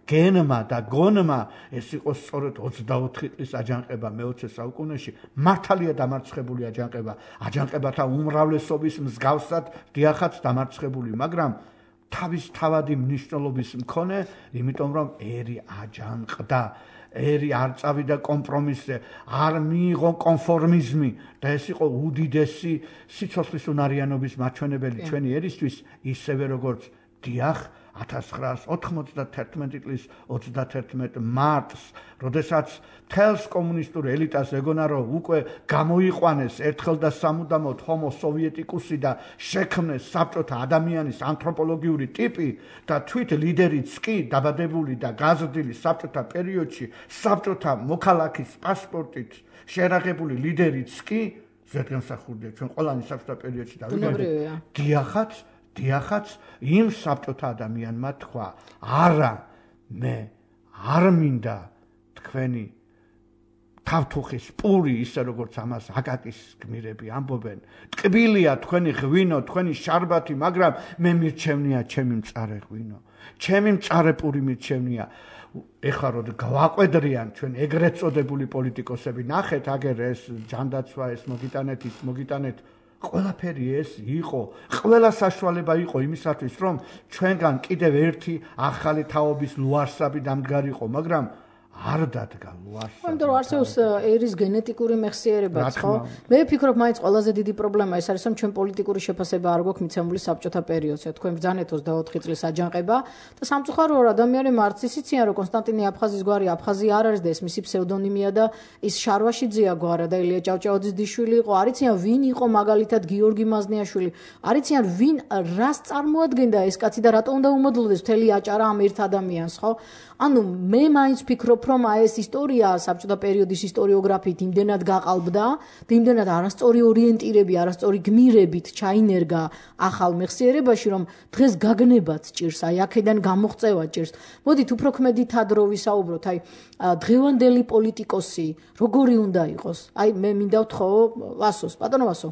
გენმა და გონმა ეს იყო სწორედ 24 წლის აჯანყება მე-20 საუკუნეში მართალია დამარცხებული აჯანყებათა უმრავლესობის მსგავსად დიახაც დამარცხებული მაგრამ თავის თავადი მნიშვნელობის მქონე იმიტომ რომ ერი აჯანყდა ერი არ წავიდა კომპრომისზე არ მიიღო კონფორმიზმი და ეს იყო უდიდესი სიცოცხლის უნარიანობის მაჩვენებელი ჩვენი ერისთვის ისევე როგორც დიახ 1991 წლის 31 მარტს, როდესაც თელს კომუნისტურ ელიტას ეგონა რომ უკვე გამოიყვანეს ერთხელ და სამუდამოდ ჰომო სოვიეტიკუსი და შექმნეს საბჭოთა ადამიანის ანთროპოლოგიური ტიპი და თვით ლიდერიც კი დაბადებული და გაზრდილი საბჭოთა პერიოდში საბჭოთა მოქალაქის პასპორტით შერაღებული ლიდერიც კი ზედგემსახურდია ჩვენ ყველანი საბჭოთა პერიოდში დავიგეთ დიახაც იმ საბჭოთა ადამიანმა თქვა არა მე არ მინდა თქვენი თავთუხის პური ისე როგორც ამას აკაკის გმირები ამბობენ ტკბილია თქვენი ღვინო თქვენი შარბათი მაგრამ მე მირჩევნია ჩემი მწარე ღვინო ჩემი მწარე პური მირჩევნია ეხლა რომ გავაყვედრიან ჩვენ ეგრეთ წოდებული პოლიტიკოსები ნახეთ აგერ ეს ჯანდაცვა ეს მოგიტანეთ ყველაფერი ეს იყო, ყველა საშუალება იყო იმისათვის, რომ ჩვენგან კიდევ ერთი ახალი თაობის ლუარსაბი დამდგარიყო, მაგრამ არ დადგა ლუარსაბი. ამიტომ არსებობს ერის გენეტიკური მეხსიერებაც, ხო? მე ვფიქრობ, მაინც ყველაზე დიდი პრობლემა ეს არის, რომ ჩვენ პოლიტიკური შეფასება არ გვაქვს მიცემული საბჭოთა პერიოდზე. თქვენ ბრძანეთ 24 წლის აჯანყება და სამწუხაროა ადამიანი მარც ისიციან, რომ კონსტანტინე აფხაზის გვარი აფხაზი არ არის და ეს მისი ფსევდონიმია და ის შარვაშიძეა გვარა და ილია ჭავჭავაძის დიშვილი იყო. არიციან ვინ იყო მაგალითად გიორგი მაზნიაშვილი. არიციან ვინ რას წარმოადგენდა ეს კაცი და რატომ უნდა უმოდლოდეს მთელი აჭარა ამ ერთ ადამიანს, ხო? ანუ მე მაინც ვფიქრობ, რომ ეს ისტორია საბჭოთა პერიოდის ისტორიოგრაფიით იმდენად გაყალბდა, იმდენად არასწორი ორიენტირები, არასწორი გმირებით ჩაინერგა ახალ მეხსიერებაში, რომ დღეს გაგნებაც ჭირს, აი აქედან გამოღწევა ჭირს. მოდით უფრო ქმედითად რო ვისაუბროთ, აი დღევანდელი პოლიტიკოსი როგორი უნდა იყოს? აი მე მინდა ვთხოვ ვასოს, პატონო ვასო.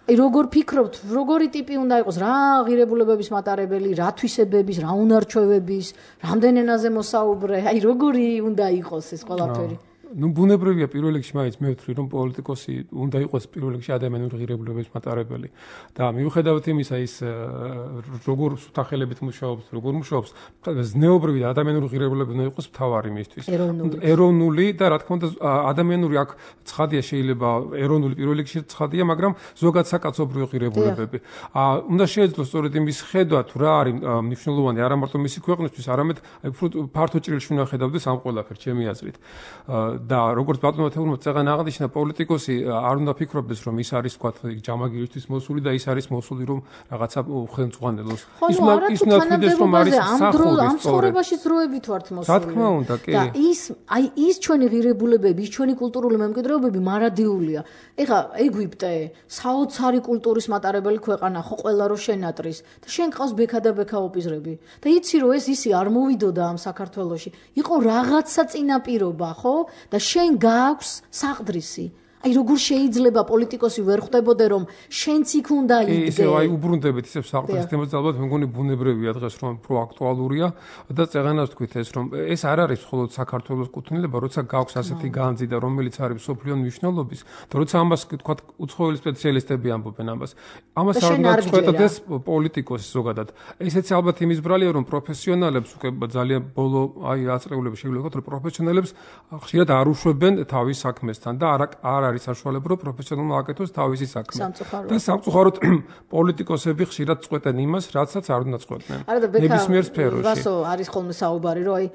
აი როგორ ფიქრობთ, როგორი ტიპი უნდა იყოს, რა ღირებულებების მატარებელი, რა თვისებების, რა უნარჩვევების, რამდენ ენაზე მოსაუბრე, აი როგორი უნდა იყოს ეს ყველაფერი? ნუ ბუნებრივია პირველ რიგში მაინც მე ვთვლი რომ პოლიტიკოსი უნდა იყოს პირველ რიგში ადამიანური ღირებულების მატარებელი და მიუხედავად იმისა ის როგორ სუთახელებით მუშაობს, როგორ მუშაობს, ზნეობრივი და ადამიანური ღირებულები უნდა იყოს მთავარი მისთვის. ეროვნული და რა თქმა უნდა ადამიანური აქ ცხადია შეიძლება ეროვნული პირველ რიგში ცხადია, მაგრამ ზოგადად საკაცობრიო ღირებულებები. უნდა შეეძლოს სწორედ იმის ხედვა თუ რა არის მნიშვნელოვანი არა მარტო მისი ქვეყნისთვის, არამედ ფართო ჭრილში უნდა ხედავდეს ამ ყველაფერს ჩემი აზრით. და როგორც ბატონო თეულმა წეგან აღნიშნა პოლიტიკოსი არ უნდა ფიქრობდეს რომ ის არის თქვა ჯამაგირისთვის მოსული და ის არის მოსული რომ რაღაცა ხელმძღვანელოს ის უნდა თვითონ რომ არის სახურის ამ ცხოვრებაში ძროებით ვართ მოსული რა თქმა უნდა კი და ის ჩვენი ღირებულებები ის ჩვენი კულტურული მემკვიდრეობები მარადიულია ეხა ეგვიპტე საოცარი კულტურის მატარებელი ქვეყანა ხო ყველა რო შენატრის და შენ ყავს ბექა და ბექა ოპიზრები და იცი რომ ეს ისი არ მოვიდოდა ამ საქართველოში იყო რაღაცა წინაპირობა ხო და შენ გააქვს საყდრისი აი როგორ შეიძლება პოლიტიკოსი ვერ ხვდებოდე რომ შენც იქ უნდა იდგე. ისე აი უბრუნდებით ისე საყდრის თემაზე ალბათ მე მგონი ბუნებრივია დღეს რომ უფრო აქტუალურია და წეღანას თქვით ეს რომ ეს არ არის მხოლოდ საქართველოს კუთვნილება, როცა გაქვს ასეთი განძი და რომელიც არის მსოფლიო მნიშვნელობის, და როცა ამას თქვა უცხოელი სპეციალისტები ამბობენ ამას. ამას არ უნდა წყვეტდეს პოლიტიკოსი ზოგადად. ესეც ალბათ იმის ბრალია რომ პროფესიონალებს უკვე ძალიან ბოლო აი აწრეულები შეგვიძლია ვთქვათ რომ პროფესიონალებს ხშირად არ უშვებენ თავის საქმესთან და არ არის საშუალება რომ პროფესიონალმა აკეთოს თავისი საქმე. და სამწუხაროდ პოლიტიკოსები ხშირად წყვეტენ იმას, რაცაც არ უნდა წყვეტდნენ. ნებისმიერ სფეროში. ვასო არის ხოლმე საუბარი რომ აი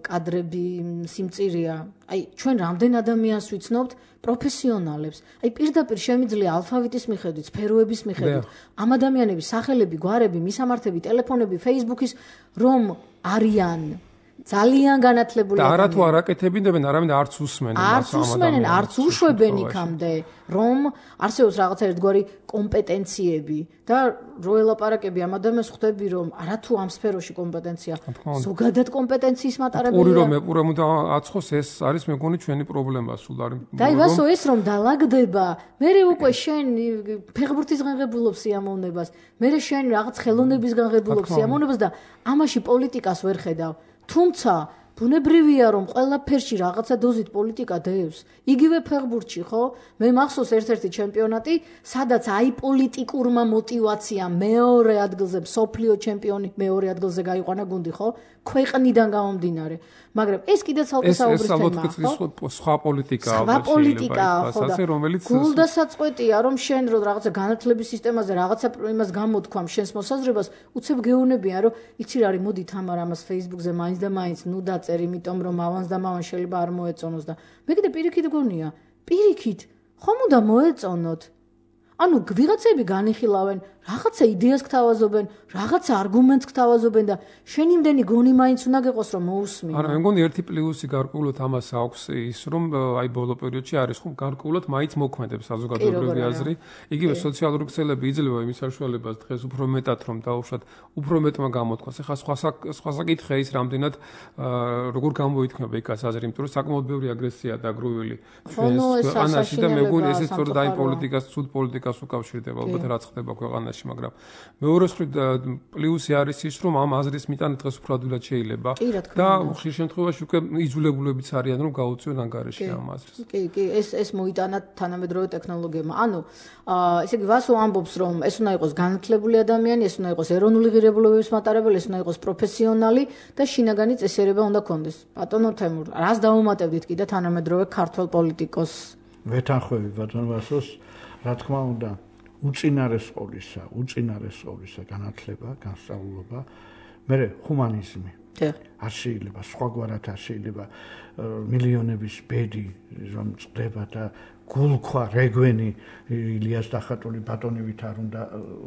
კადრები სიმწირეა. აი ჩვენ რამდენ ადამიანს ვიცნობთ პროფესიონალებს. აი პირდაპირ შემიძლია ალფავიტის მიხედვით, სფეროების მიხედვით ამ ადამიანების სახელები, გვარები, მისამართები, ტელეფონები, Facebook-ის რომ არიან ძალიან განათლებული და არა თუ არ აკეთებინებენ, არამედ არც უსმენენ არც უსმენენ, არც უშვებენ იქამდე, რომ არსებობს რაღაცა ერთგვარი კომპეტენციები და რო ელაპარაკები ამ ადამიანს ხვდები რომ არა თუ ამ სფეროში კომპეტენცია, ზოგადად კომპეტენციის მატარებელია. პური რომ ეპურემ და აცხოს ეს არის მე მგონი ჩვენი პრობლემა სულ არის. და აი ვასო ეს რომ დაალაგდება, მე უკვე შენ ფეხბურთის განღებულობს სიამოვნებას, მე შენ რაღაც ხელოვნების განღებულობს სიამოვნებას და ამაში პოლიტიკას ვერ ხედავ. თუმცა ბუნებრივია რომ ყველაფერში რაღაცა დოზით პოლიტიკა დევს. იგივე ფეხბურთში ხო? მე მახსოვს ერთ-ერთი ჩემპიონატი, სადაც აი პოლიტიკურმა მოტივაციამ მეორე ადგილზე მსოფლიო ჩემპიონი მეორე ადგილზე გაიყვანა გუნდი ხო? ქვეყნიდან გამომდინარე. მაგრამ ეს კიდე ცალკე საუბრის თემაა. ეს სხვა პოლიტიკაა, სხვა პოლიტიკაა ხო და რომელიც გულდასაწყვეტია რომ შენ რო რაღაცა განათლების სისტემაზე რაღაცა იმას გამოთქვამ შენს მოსაზრებას, უცებ გეუბნებიან რომ იცი რა არის, მოდი თამარ ამას Facebook-ზე მაინც და მაინც ნუ დაწერ, იმიტომ რომ ავანს და მავან შეიძლება არ მოეწონოს და მე კიდე პირიქით გონია, პირიქით ხომ უნდა მოეწონოთ. ანუ ვიღაცები განიხილავენ, რაღაცა იდეას გთავაზობენ, რაღაცა არგუმენტს გთავაზობენ და შენ იმდენი გონი მაინც უნდა გეყოს რომ მოусმინო. არა, მე მგონი ერთი პლუსი გარკვეულად ამას აქვს ის რომ აი ბოლო პერიოდში არის ხომ გარკვეულად მაინც მოქმედებს საზოგადოებრივი აზრი. იგივე სოციალური ქსელები იძლევა იმის საშუალებას დღეს უფრო მეტად რომ დაუშვათ, უფრო მეტმა გამოთქვას. ეხლა სხვა საკითხია ის რამდენად როგორ გამოითქმება იქაც აზრი, იმიტომ რომ საკმაოდ ბევრი აგრესია დაგროვილი ქვეყანაში და მე მგონი ესეც სწორედ აი პოლიტიკას, ცუდ პოლიტიკას უკავშირდება, ალბათ რაც ხდება ქვეყანაში, მაგრამ მეორე მხრივ პლუსი არის ის, რომ ამ აზრის მიტანა დღეს უფრო ადვილად შეიძლება და ხშირ შემთხვევაში უკვე იძულებულებიც არიან, რომ გაუწიონ ანგარიში ამ აზრს. კი, ეს მოიტანა თანამედროვე ტექნოლოგიებმა. ანუ ესე იგი ვასო ამბობს, რომ ეს უნდა იყოს განათლებული ადამიანი, ეს უნდა იყოს ეროვნული ღირებულებების მატარებელი, ეს უნდა იყოს პროფესიონალი და შინაგანი წესიერება უნდა ქონდეს. ბატონო თემურ, რას დაუმატებდით კიდე თანამედროვე ქართველ პოლიტიკოსს? ვეთანხმები ბატონ ვასოს, რა თქმა უნდა, უწინარესყოლისა განათლება, განსწავლულობა, მერე ჰუმანიზმი. არ შეიძლება, სხვაგვარად არ შეიძლება მილიონების ბედი რომ წდება და გულქვა რეგვენი ილიას დახატული ბატონივით არ უნდა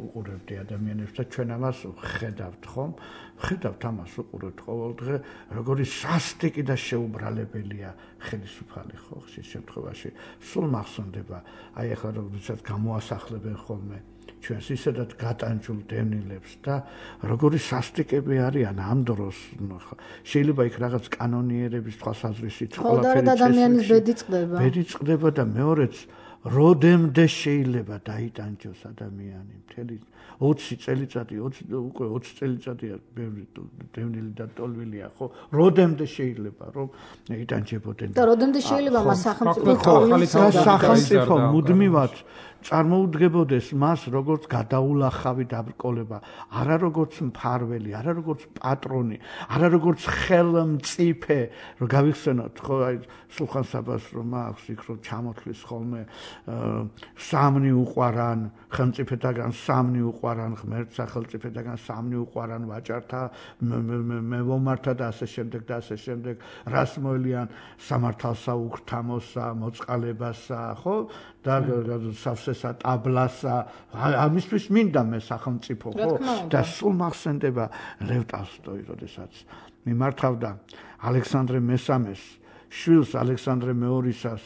უყურებდი ადამიანებს და ჩვენ ამას ხედავთ ხომ? ხედავთ ამას უყურებთ ყოველდღე, როგორი სასტიკი და შეუბრალებელია ხელისუფალი ხო ხშირ შემთხვევაში. სულ მახსოვდება, აი ახლა როდესაც გამოასახლებენ ხოლმე ჩვენს ისედაც გატანჯულ დევნილებს და როგორი სასტიკები არიან ამ დროს. შეიძლება იქ რაღაც კანონიერების თვალსაზრისით ყველაფერი ადამიანის ბედი წყდება. ბედი წყდება და მეორეც როდემდე შეიძლება დაიტანჯოს ადამიანი მთელი 20 წელიწადი, უკვე 20 წელიწადია ბევრი დევნილი და ტოლვილია, ხო? როდემდე შეიძლება რომ იტანჯებოდნენ და როდემდე შეიძლება მას სახელმწიფო მუდმივად წარმოუდგებოდეს მას როგორც გადაულახავი დაბრკოლება, არა როგორც მფარველი, არა როგორც პატრონი, არა როგორც ხელმწიფე, რომ გავიხსენოთ ხო აი სულხან-საბას რომ აქვს იქ რომ ჩამოთვლის ხოლმე სამნი უყვარან ხელმწიფეთაგან სამნი უყვარან ღმერთს სახელმწიფეთაგან სამნი უყვარან ვაჭართა მევომართა და ასე შემდეგ და ასე შემდეგ რას მოელიან სამართალსა უქრთამოსა მოწყალებასა ხო და სავსესა ტაბლასა ამისთვის მინდა მე სახელმწიფო ხო და სულ მახსენდება ლევ ტოლსტოი როდესაც მიმართავდა ალექსანდრე მესამეს შვილს ალექსანდრე მეორისას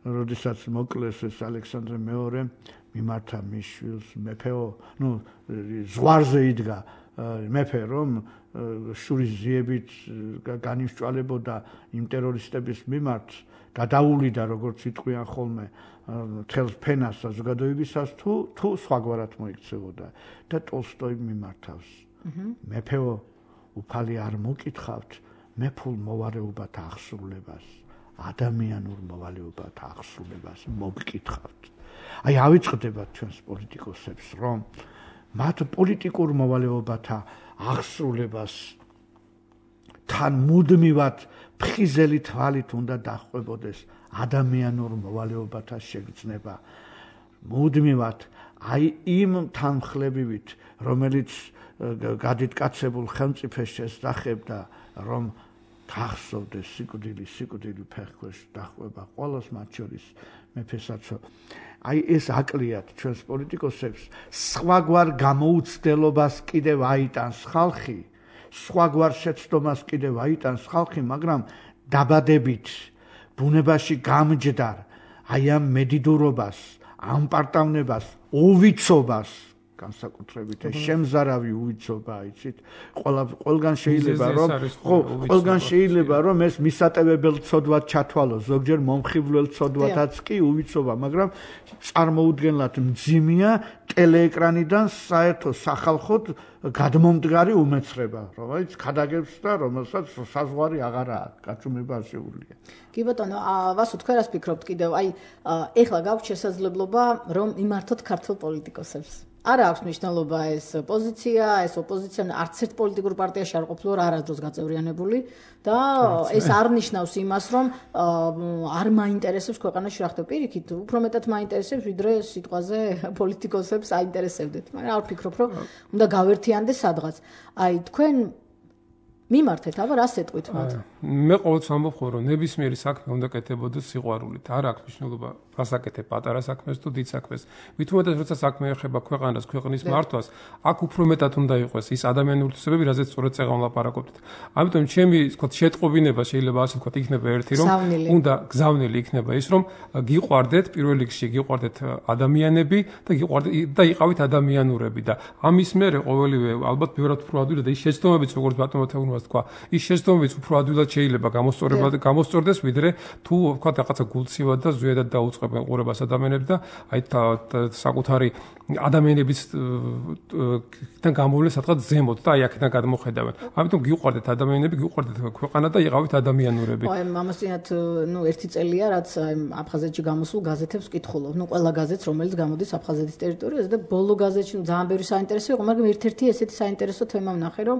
როდესაც მოკლეს ეს ალექსანდრე მეორე მიმართა მის შვილს მეფეო ნუ ზღვარზე იდგა მეფე რომ შურის ძიებით განისჭვალებოდა იმ ტერორისტების მიმართ გადაულიდა როგორც იტყვიან ხოლმე თელს ფენას საზოგადოებისას თუ სხვაგვარად მოიქცეოდა და ტოლსტოიმ მიმართავს მეფეო უფალი არ მოკითხავთ მეფულ მოვალეობათა აღსრულებას ადამიანურ მოვალეობათა აღსრულებას მოგკითხავთ აი ავიწყდებათ ჩვენს პოლიტიკოსებს რომ მათ პოლიტიკურ მოვალეობათა აღსრულებას თან მუდმივად ფხიზელი თვალით უნდა დახვებოდეს ადამიანურ მოვალეობათა შეგრძნება მუდმივად აი იმ თანხლებივით რომელიც გადიდკაცებულ ხელმწიფეს შესახებდა რომ გახსოვდეს სიკვდილი ფეხქვეშ დახვება ყველას მათ შორის მეფესაც აი ეს აკლიათ ჩვენს პოლიტიკოსებს სხვაგვარ გამოუცდელობას კიდევ აიტანს ხალხი სხვაგვარ შეცდომას კიდევ აიტანს ხალხი მაგრამ დაბადებით ბუნებაში გამჯდარ აი ამ მედიდურობას ამ პარტავნებას უვიცობას განსაკუთრებით ეს შემზარავი უვიცობა იცით ყველგან შეიძლება რომ ეს მისატევებელ ცოდვად ჩათვალოს ზოგჯერ მომხიბვლელ ცოდვათაც კი უვიცობა მაგრამ წარმოუდგენლად მძიმეა ტელეეკრანიდან საერთო სახალხოდ გადმომდგარი უმეცრება რომელიც ქადაგებს და რომელსაც საზღვარი აღარა აქვს გაჩუმება ასეულია კი ბატონო ვასო თქვენ რას ფიქრობთ კიდევ აი ეხლა გაქვთ შესაძლებლობა რომ იმართოთ ქართულ პოლიტიკოსებს არა აქვს მნიშვნელობა ეს პოზიცია, ეს ოპოზიცია არც ერთ პოლიტიკურ პარტიაში არ ყოფილა არასდროს გაწევრიანებული და ეს არ ნიშნავს იმას, რომ არ მაინტერესებს ქვეყანაში რა ხდება. პირიქით, უფრო მეტად მაინტერესებს, ვიდრე სიტყვაზე პოლიტიკოსებს აინტერესებდეთ. მაგრამ არ ვფიქრობ, რომ უნდა გავერთიანდეს სადღაც. აი, თქვენ მიმართეთ, აბა რა სეტყვით მათ? მე ყოველთვის ამბობ ხოლმე, რომ ნებისმიერი საქმე უნდა კეთებოდეს სიყვარულით. არ აქვს მნიშვნელობა რასაკეთებ პატარა საქმეს თუ დიდ საქმეს. მithumetes როცა საქმე ეხება ქვეყანას, ქვეყნის მართვას, აქ უფრო მეტად უნდა იყოს ის ადამიანური თვისებები, რაზეც სწორედ წეგან ვლაპარაკობთ. ამიტომ ჩემი, ვთქვათ, შეტყობინება შეიძლება ასე ვთქვათ, იქნება ერთი, რომ უნდა გზავნილი იქნება ის, რომ გიყვარდეთ პირველ რიგში, გიყვარდეთ ადამიანები და იყავით ადამიანურები და ამის მერე ყოველივე ალბათ ბევრად უფრო ადვილად და ის შეცდომებიც როგორც ბატონმა თეუნმას თქვა, ის შეცდომებიც უფრო ადვილად შეიძლება გამოსწორდეს, ვიდრე თუ ვთქვათ რაღაცა გულცივად და ზვიადად დაუწყებ ყურებას ადამიანებს და აი საკუთარი ადამიანებისგან გამოვლენ სადღაც ზემოთ და აი აქედან გადმოხედავენ. ამიტომ გიყვარდეთ ადამიანები, გიყვარდეთ ქვეყანა და იყავით ადამიანურები. აი ამასთანავე ერთი წელია რაც აფხაზეთში გამოსულ გაზეთებს ვკითხულობ. ყველა გაზეთს რომელიც გამოდის აფხაზეთის ტერიტორიაზე და ბოლო გაზეთში ძალიან ბევრი საინტერესო იყო, მაგრამ ერთ-ერთი ესეთი საინტერესო თემა ვნახე, რომ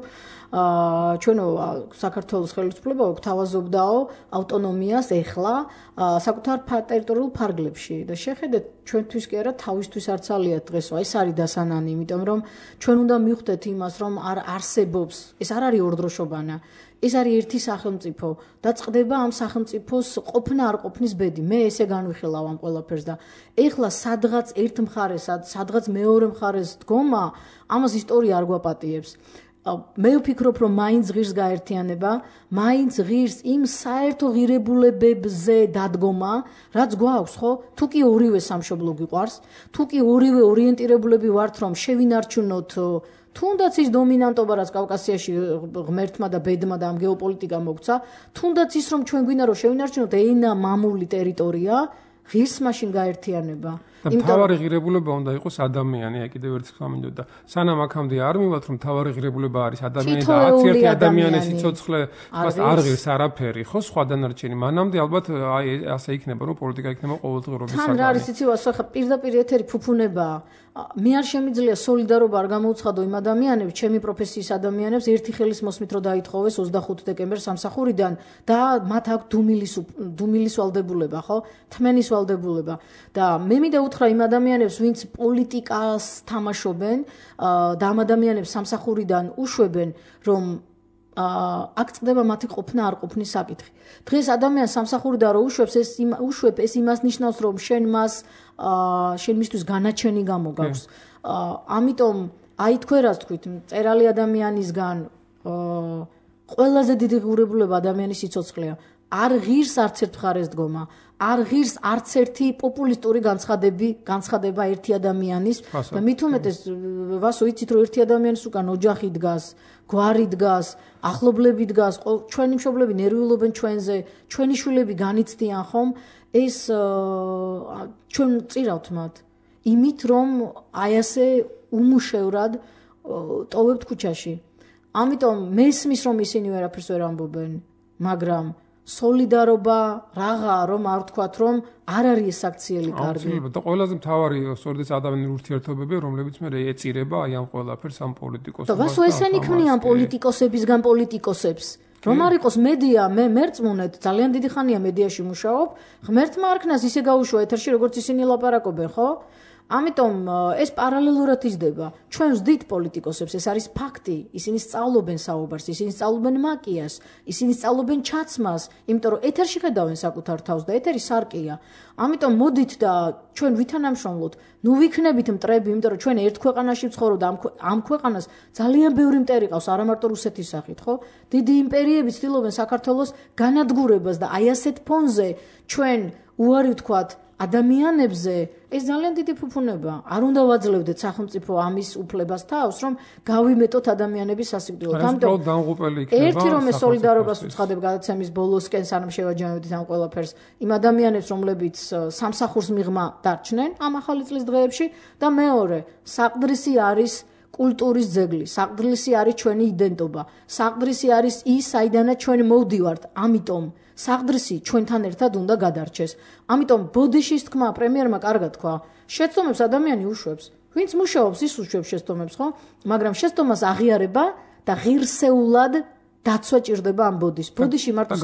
ჩვენო საქართველოს ხელისუფლება გვთავაზობდაო ავტონომიას ეხლა საკუთარ ტერიტორიულ ფარგლებში და შეხედეთ ჩვენთვის კი არა თავისთვის არც ალიათ დღესო ეს არის დასანანი იმიტომ რომ ჩვენ უნდა მივხვდეთ იმას რომ არ არსებობს ეს არ არის ორდროშობანა ეს არის ერთი სახელმწიფო და წყდება ამ სახელმწიფოს ყოფნა არ ყოფნის ბედი მე ესე განვიხილავ ამ ყველაფერს და ეხლა სადღაც ერთ მხარეს სადღაც მეორე მხარეს დგომა ამას ისტორია არ გვაპატიებს მე ვფიქრობ რომ მაინც ღირს გაერთიანება, მაინც ღირს იმ საერთო ღირებულებებზე დადგომა, რაც გვაქვს, ხო? თუ კი ორივე სამშობლო გიყვარს, თუ კი ორივე ორიენტირებულები ვართ რომ შევინარჩუნოთ თუნდაც ის დომინანტობა რაც კავკასიაში ღმერთმა და ბედმა და ამ გეოპოლიტიკა მოგცა, თუნდაც ის რომ ჩვენ გვინდა რომ შევინარჩუნოთ ენა მამული ტერიტორია, ღირს მაშინ გაერთიანება. მთავარი ღირებულება უნდა იყოს ადამიანი, აი კიდევ ერთი თქვა მინდოდა. სანამ აქამდე არ მივათ რომ მთავარი ღირებულება არის ადამიანი და აცი ადამიანის სიცოცხლე, არ ღირს არაფერი, ხო, სხვა დანარჩენი. მანამდე ალბათ აი ასე იქნება რომ პოლიტიკა იქნება ყოველდღიურობის საქმე. თან რა არის იცი ვასო, ხა პირდაპირ ეთერი ფუფუნებაა. მე არ შემიძლია სოლიდარობა არ გამოუცხადო იმ ადამიანებს, ჩემი პროფესიის ადამიანებს ერთი ხელის მოსმით რომ დაითხოვეს 25 დეკემბერს სამსახურიდან და მათ აქვს დუმილის ვალდებულება, ხო? თმენის ვალდებულება. და მე მინდა უთხრა იმ ადამიანებს, ვინც პოლიტიკას თამაშობენ და ამ ადამიანებს სამსახურიდან უშვებენ, რომ აქ წდება მათი ყოფნა არ ყოფნის საკითხი. დღეს ადამიანს სამსახურიდან რო უშვებ ეს იმას ნიშნავს, რომ შენ მისთვის განაჩენი გამოგაქვს. ამიტომ აი თქვენ რას თქვით, მწერალი ადამიანისგან ყველაზე დიდი ღირებულება ადამიანის სიცოცხლეა. არ ღირს არც ერთ მხარეს დგომა, არ ღირს არც ერთი პოპულისტური განცხადება ერთი ადამიანის და მით უმეტეს ვასო იცით რომ ერთი ადამიანის უკან ოჯახი დგას, გვარი დგას, ახლობლები დგას, ჩვენი მშობლები ნერვიულობენ ჩვენზე, ჩვენი შვილები განიცდიან ხომ, ეს ჩვენ წირავთ მათ იმით რომ აი ასე უმუშევრად ტოვებთ ქუჩაში. ამიტომ მესმის რომ ისინი ვერაფერს ვერ ამბობენ, მაგრამ სოლიდარობა რაღა რომ არ ვთქვათ რომ არ არის ეს აქციელი კარგი. და ყველაზე მთავარი სწორედ ეს ადამიანური ურთიერთობები, რომლებიც მე ეწირება აი ამ ყველაფერს ამ პოლიტიკოსებს. და ვასო ესენი ქმნიან პოლიტიკოსებისგან პოლიტიკოსებს. რომ არ იყოს მედია, მე მერწმუნეთ, ძალიან დიდი ხანია მედიაში მუშაობ, ღმერთმა არ ქნას ისე გაუშვა ეთერში, როგორც ისინი ლაპარაკობენ, ხო? ამიტომ ეს პარალელურად იზრდება. ჩვენ ვზდით პოლიტიკოსებს, ეს არის ფაქტი. ისინი სწავლობენ საუბარს, ისინი სწავლობენ მაკიას, ისინი სწავლობენ ჩაცმას, იმიტომ რომ ეთერში ხედავენ საკუთარ თავს და ეთერი სარკეა. ამიტომ მოდით და ჩვენ ვითანამშრომლოთ, ნუ ვიქნებით მტრები, იმიტომ რომ ჩვენ ერთ ქვეყანაში ვცხოვრობ და ამ ქვეყანას ძალიან ბევრი მტერი ყავს, არა მარტო რუსეთის სახით, ხო? დიდი იმპერიები ცდილობენ საქართველოს განადგურებას და აი ასეთ ფონზე ჩვენ უარი ვთქვათ ადამიანებზე, ეს ძალიან დიდი ფუფუნება. არ უნდა ვაძლევდეთ სახელმწიფო ამის უფლებას თავს, რომ გავიმეტოთ ადამიანების სასიკვდილოდ. ამიტომ დამღუპელი იქნება. ერთი რომ ეს სოლიდარობას უცხადებ გადაცემის ბოლოსკენ სანამ შევაჯამებდით ამ ყველაფერს, იმ ადამიანებს, რომლებიც სამსახურს მიღმა დარჩნენ ამ ახალი წლის დღეებში და მეორე, საყდრისი არის კულტურის ძეგლი, საყდრისი არის ჩვენი იდენტობა, საყდრისი არის ის, საიდანაც ჩვენ მოვდივართ, ამიტომ საყდრისი ჩვენთან ერთად უნდა გადარჩეს. ამიტომ ბოდიშის თქმა პრემიერმა კარგად თქვა, შეცდომებს ადამიანი უშვებს. ვინც მუშაობს, ის უშვებს შეცდომებს, ხო? მაგრამ შეცდომას აღიარება და ღირსეულად დაცვა ჭირდება ამ ბოდიშს. ბოდიში მარტო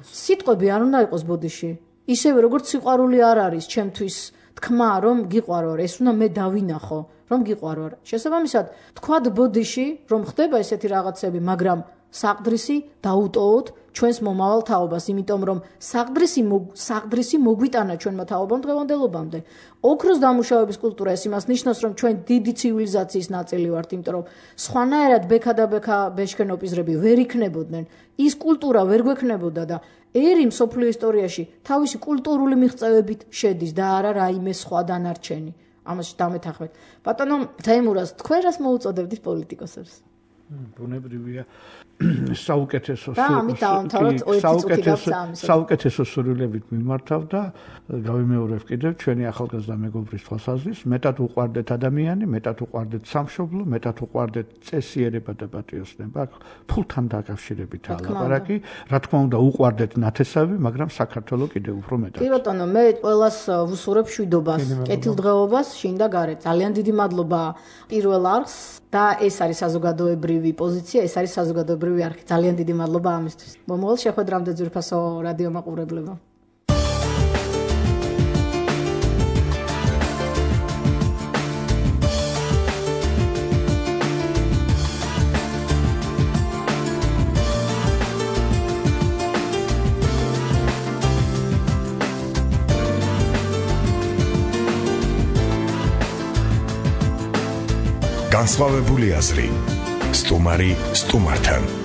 სიტყვები არ უნდა იყოს ბოდიში. ისევე როგორც სიყვარული არ არის ჩემთვის თქმა, რომ გიყვარო, ეს უნდა მე დავინახო, რომ გიყვარო. შესაბამისად, თქვათ ბოდიში, რომ ხდება ესეთი რაღაცები, მაგრამ საყდრისი დაუტოვოთ ჩვენს მომავალ თაობას, იმიტომ რომ საყდრისი მოგვიტანა ჩვენმა თაობამ დღევანდელობამდე. ოქროს დამუშავების კულტურა ეს იმას ნიშნავს, რომ ჩვენ დიდი ცივილიზაციის ნაწილი ვართ, იმიტომ რომ სხვანაირად ბექა და ბექა ბეშქენოპიზრები ვერ იქნებოდნენ. ის კულტურა ვერ გვექნებოდა და ერი მსოფლიო ისტორიაში თავისი კულტურული მიღწევებით შედის და არა რაიმე სხვა დანარჩენი. ამაში დამეთანხმეთ. ბატონო თეიმურას, თქვენ რას მოუწოდებდით პოლიტიკოსებს? ბუნებრივია საუკეთესო სურვილებით მიმართავ და გავიმეორებ კიდევ ჩვენი ახალგაზრდა მეგობრის თვალსაზრისით, მეტად უყვარდეთ ადამიანი, მეტად უყვარდეთ სამშობლო, მეტად უყვარდეთ წესიერება და პატრიოტიზმი. ფულთან დაკავშირებითაა ლაპარაკი, რა თქმა უნდა უყვარდეთ ნათესავი, მაგრამ საქართველოს კიდევ უფრო მეტად. კი ბატონო, მე ყველას ვუსურებ მშვიდობას, კეთილდღეობას, შინ და გარეთ. ძალიან დიდი მადლობა პირველ არხს და ეს არის საზოგადოებრივი პოზიცია, ეს არის საზოგადოებრივი არხი. ძალიან დიდი მადლობა ამისთვის. მომავალ შეხვედრამდე ძვირფასო რადიო მაყურებლებო. განსხვავებული აზრი. სტუმარი სტუმართან.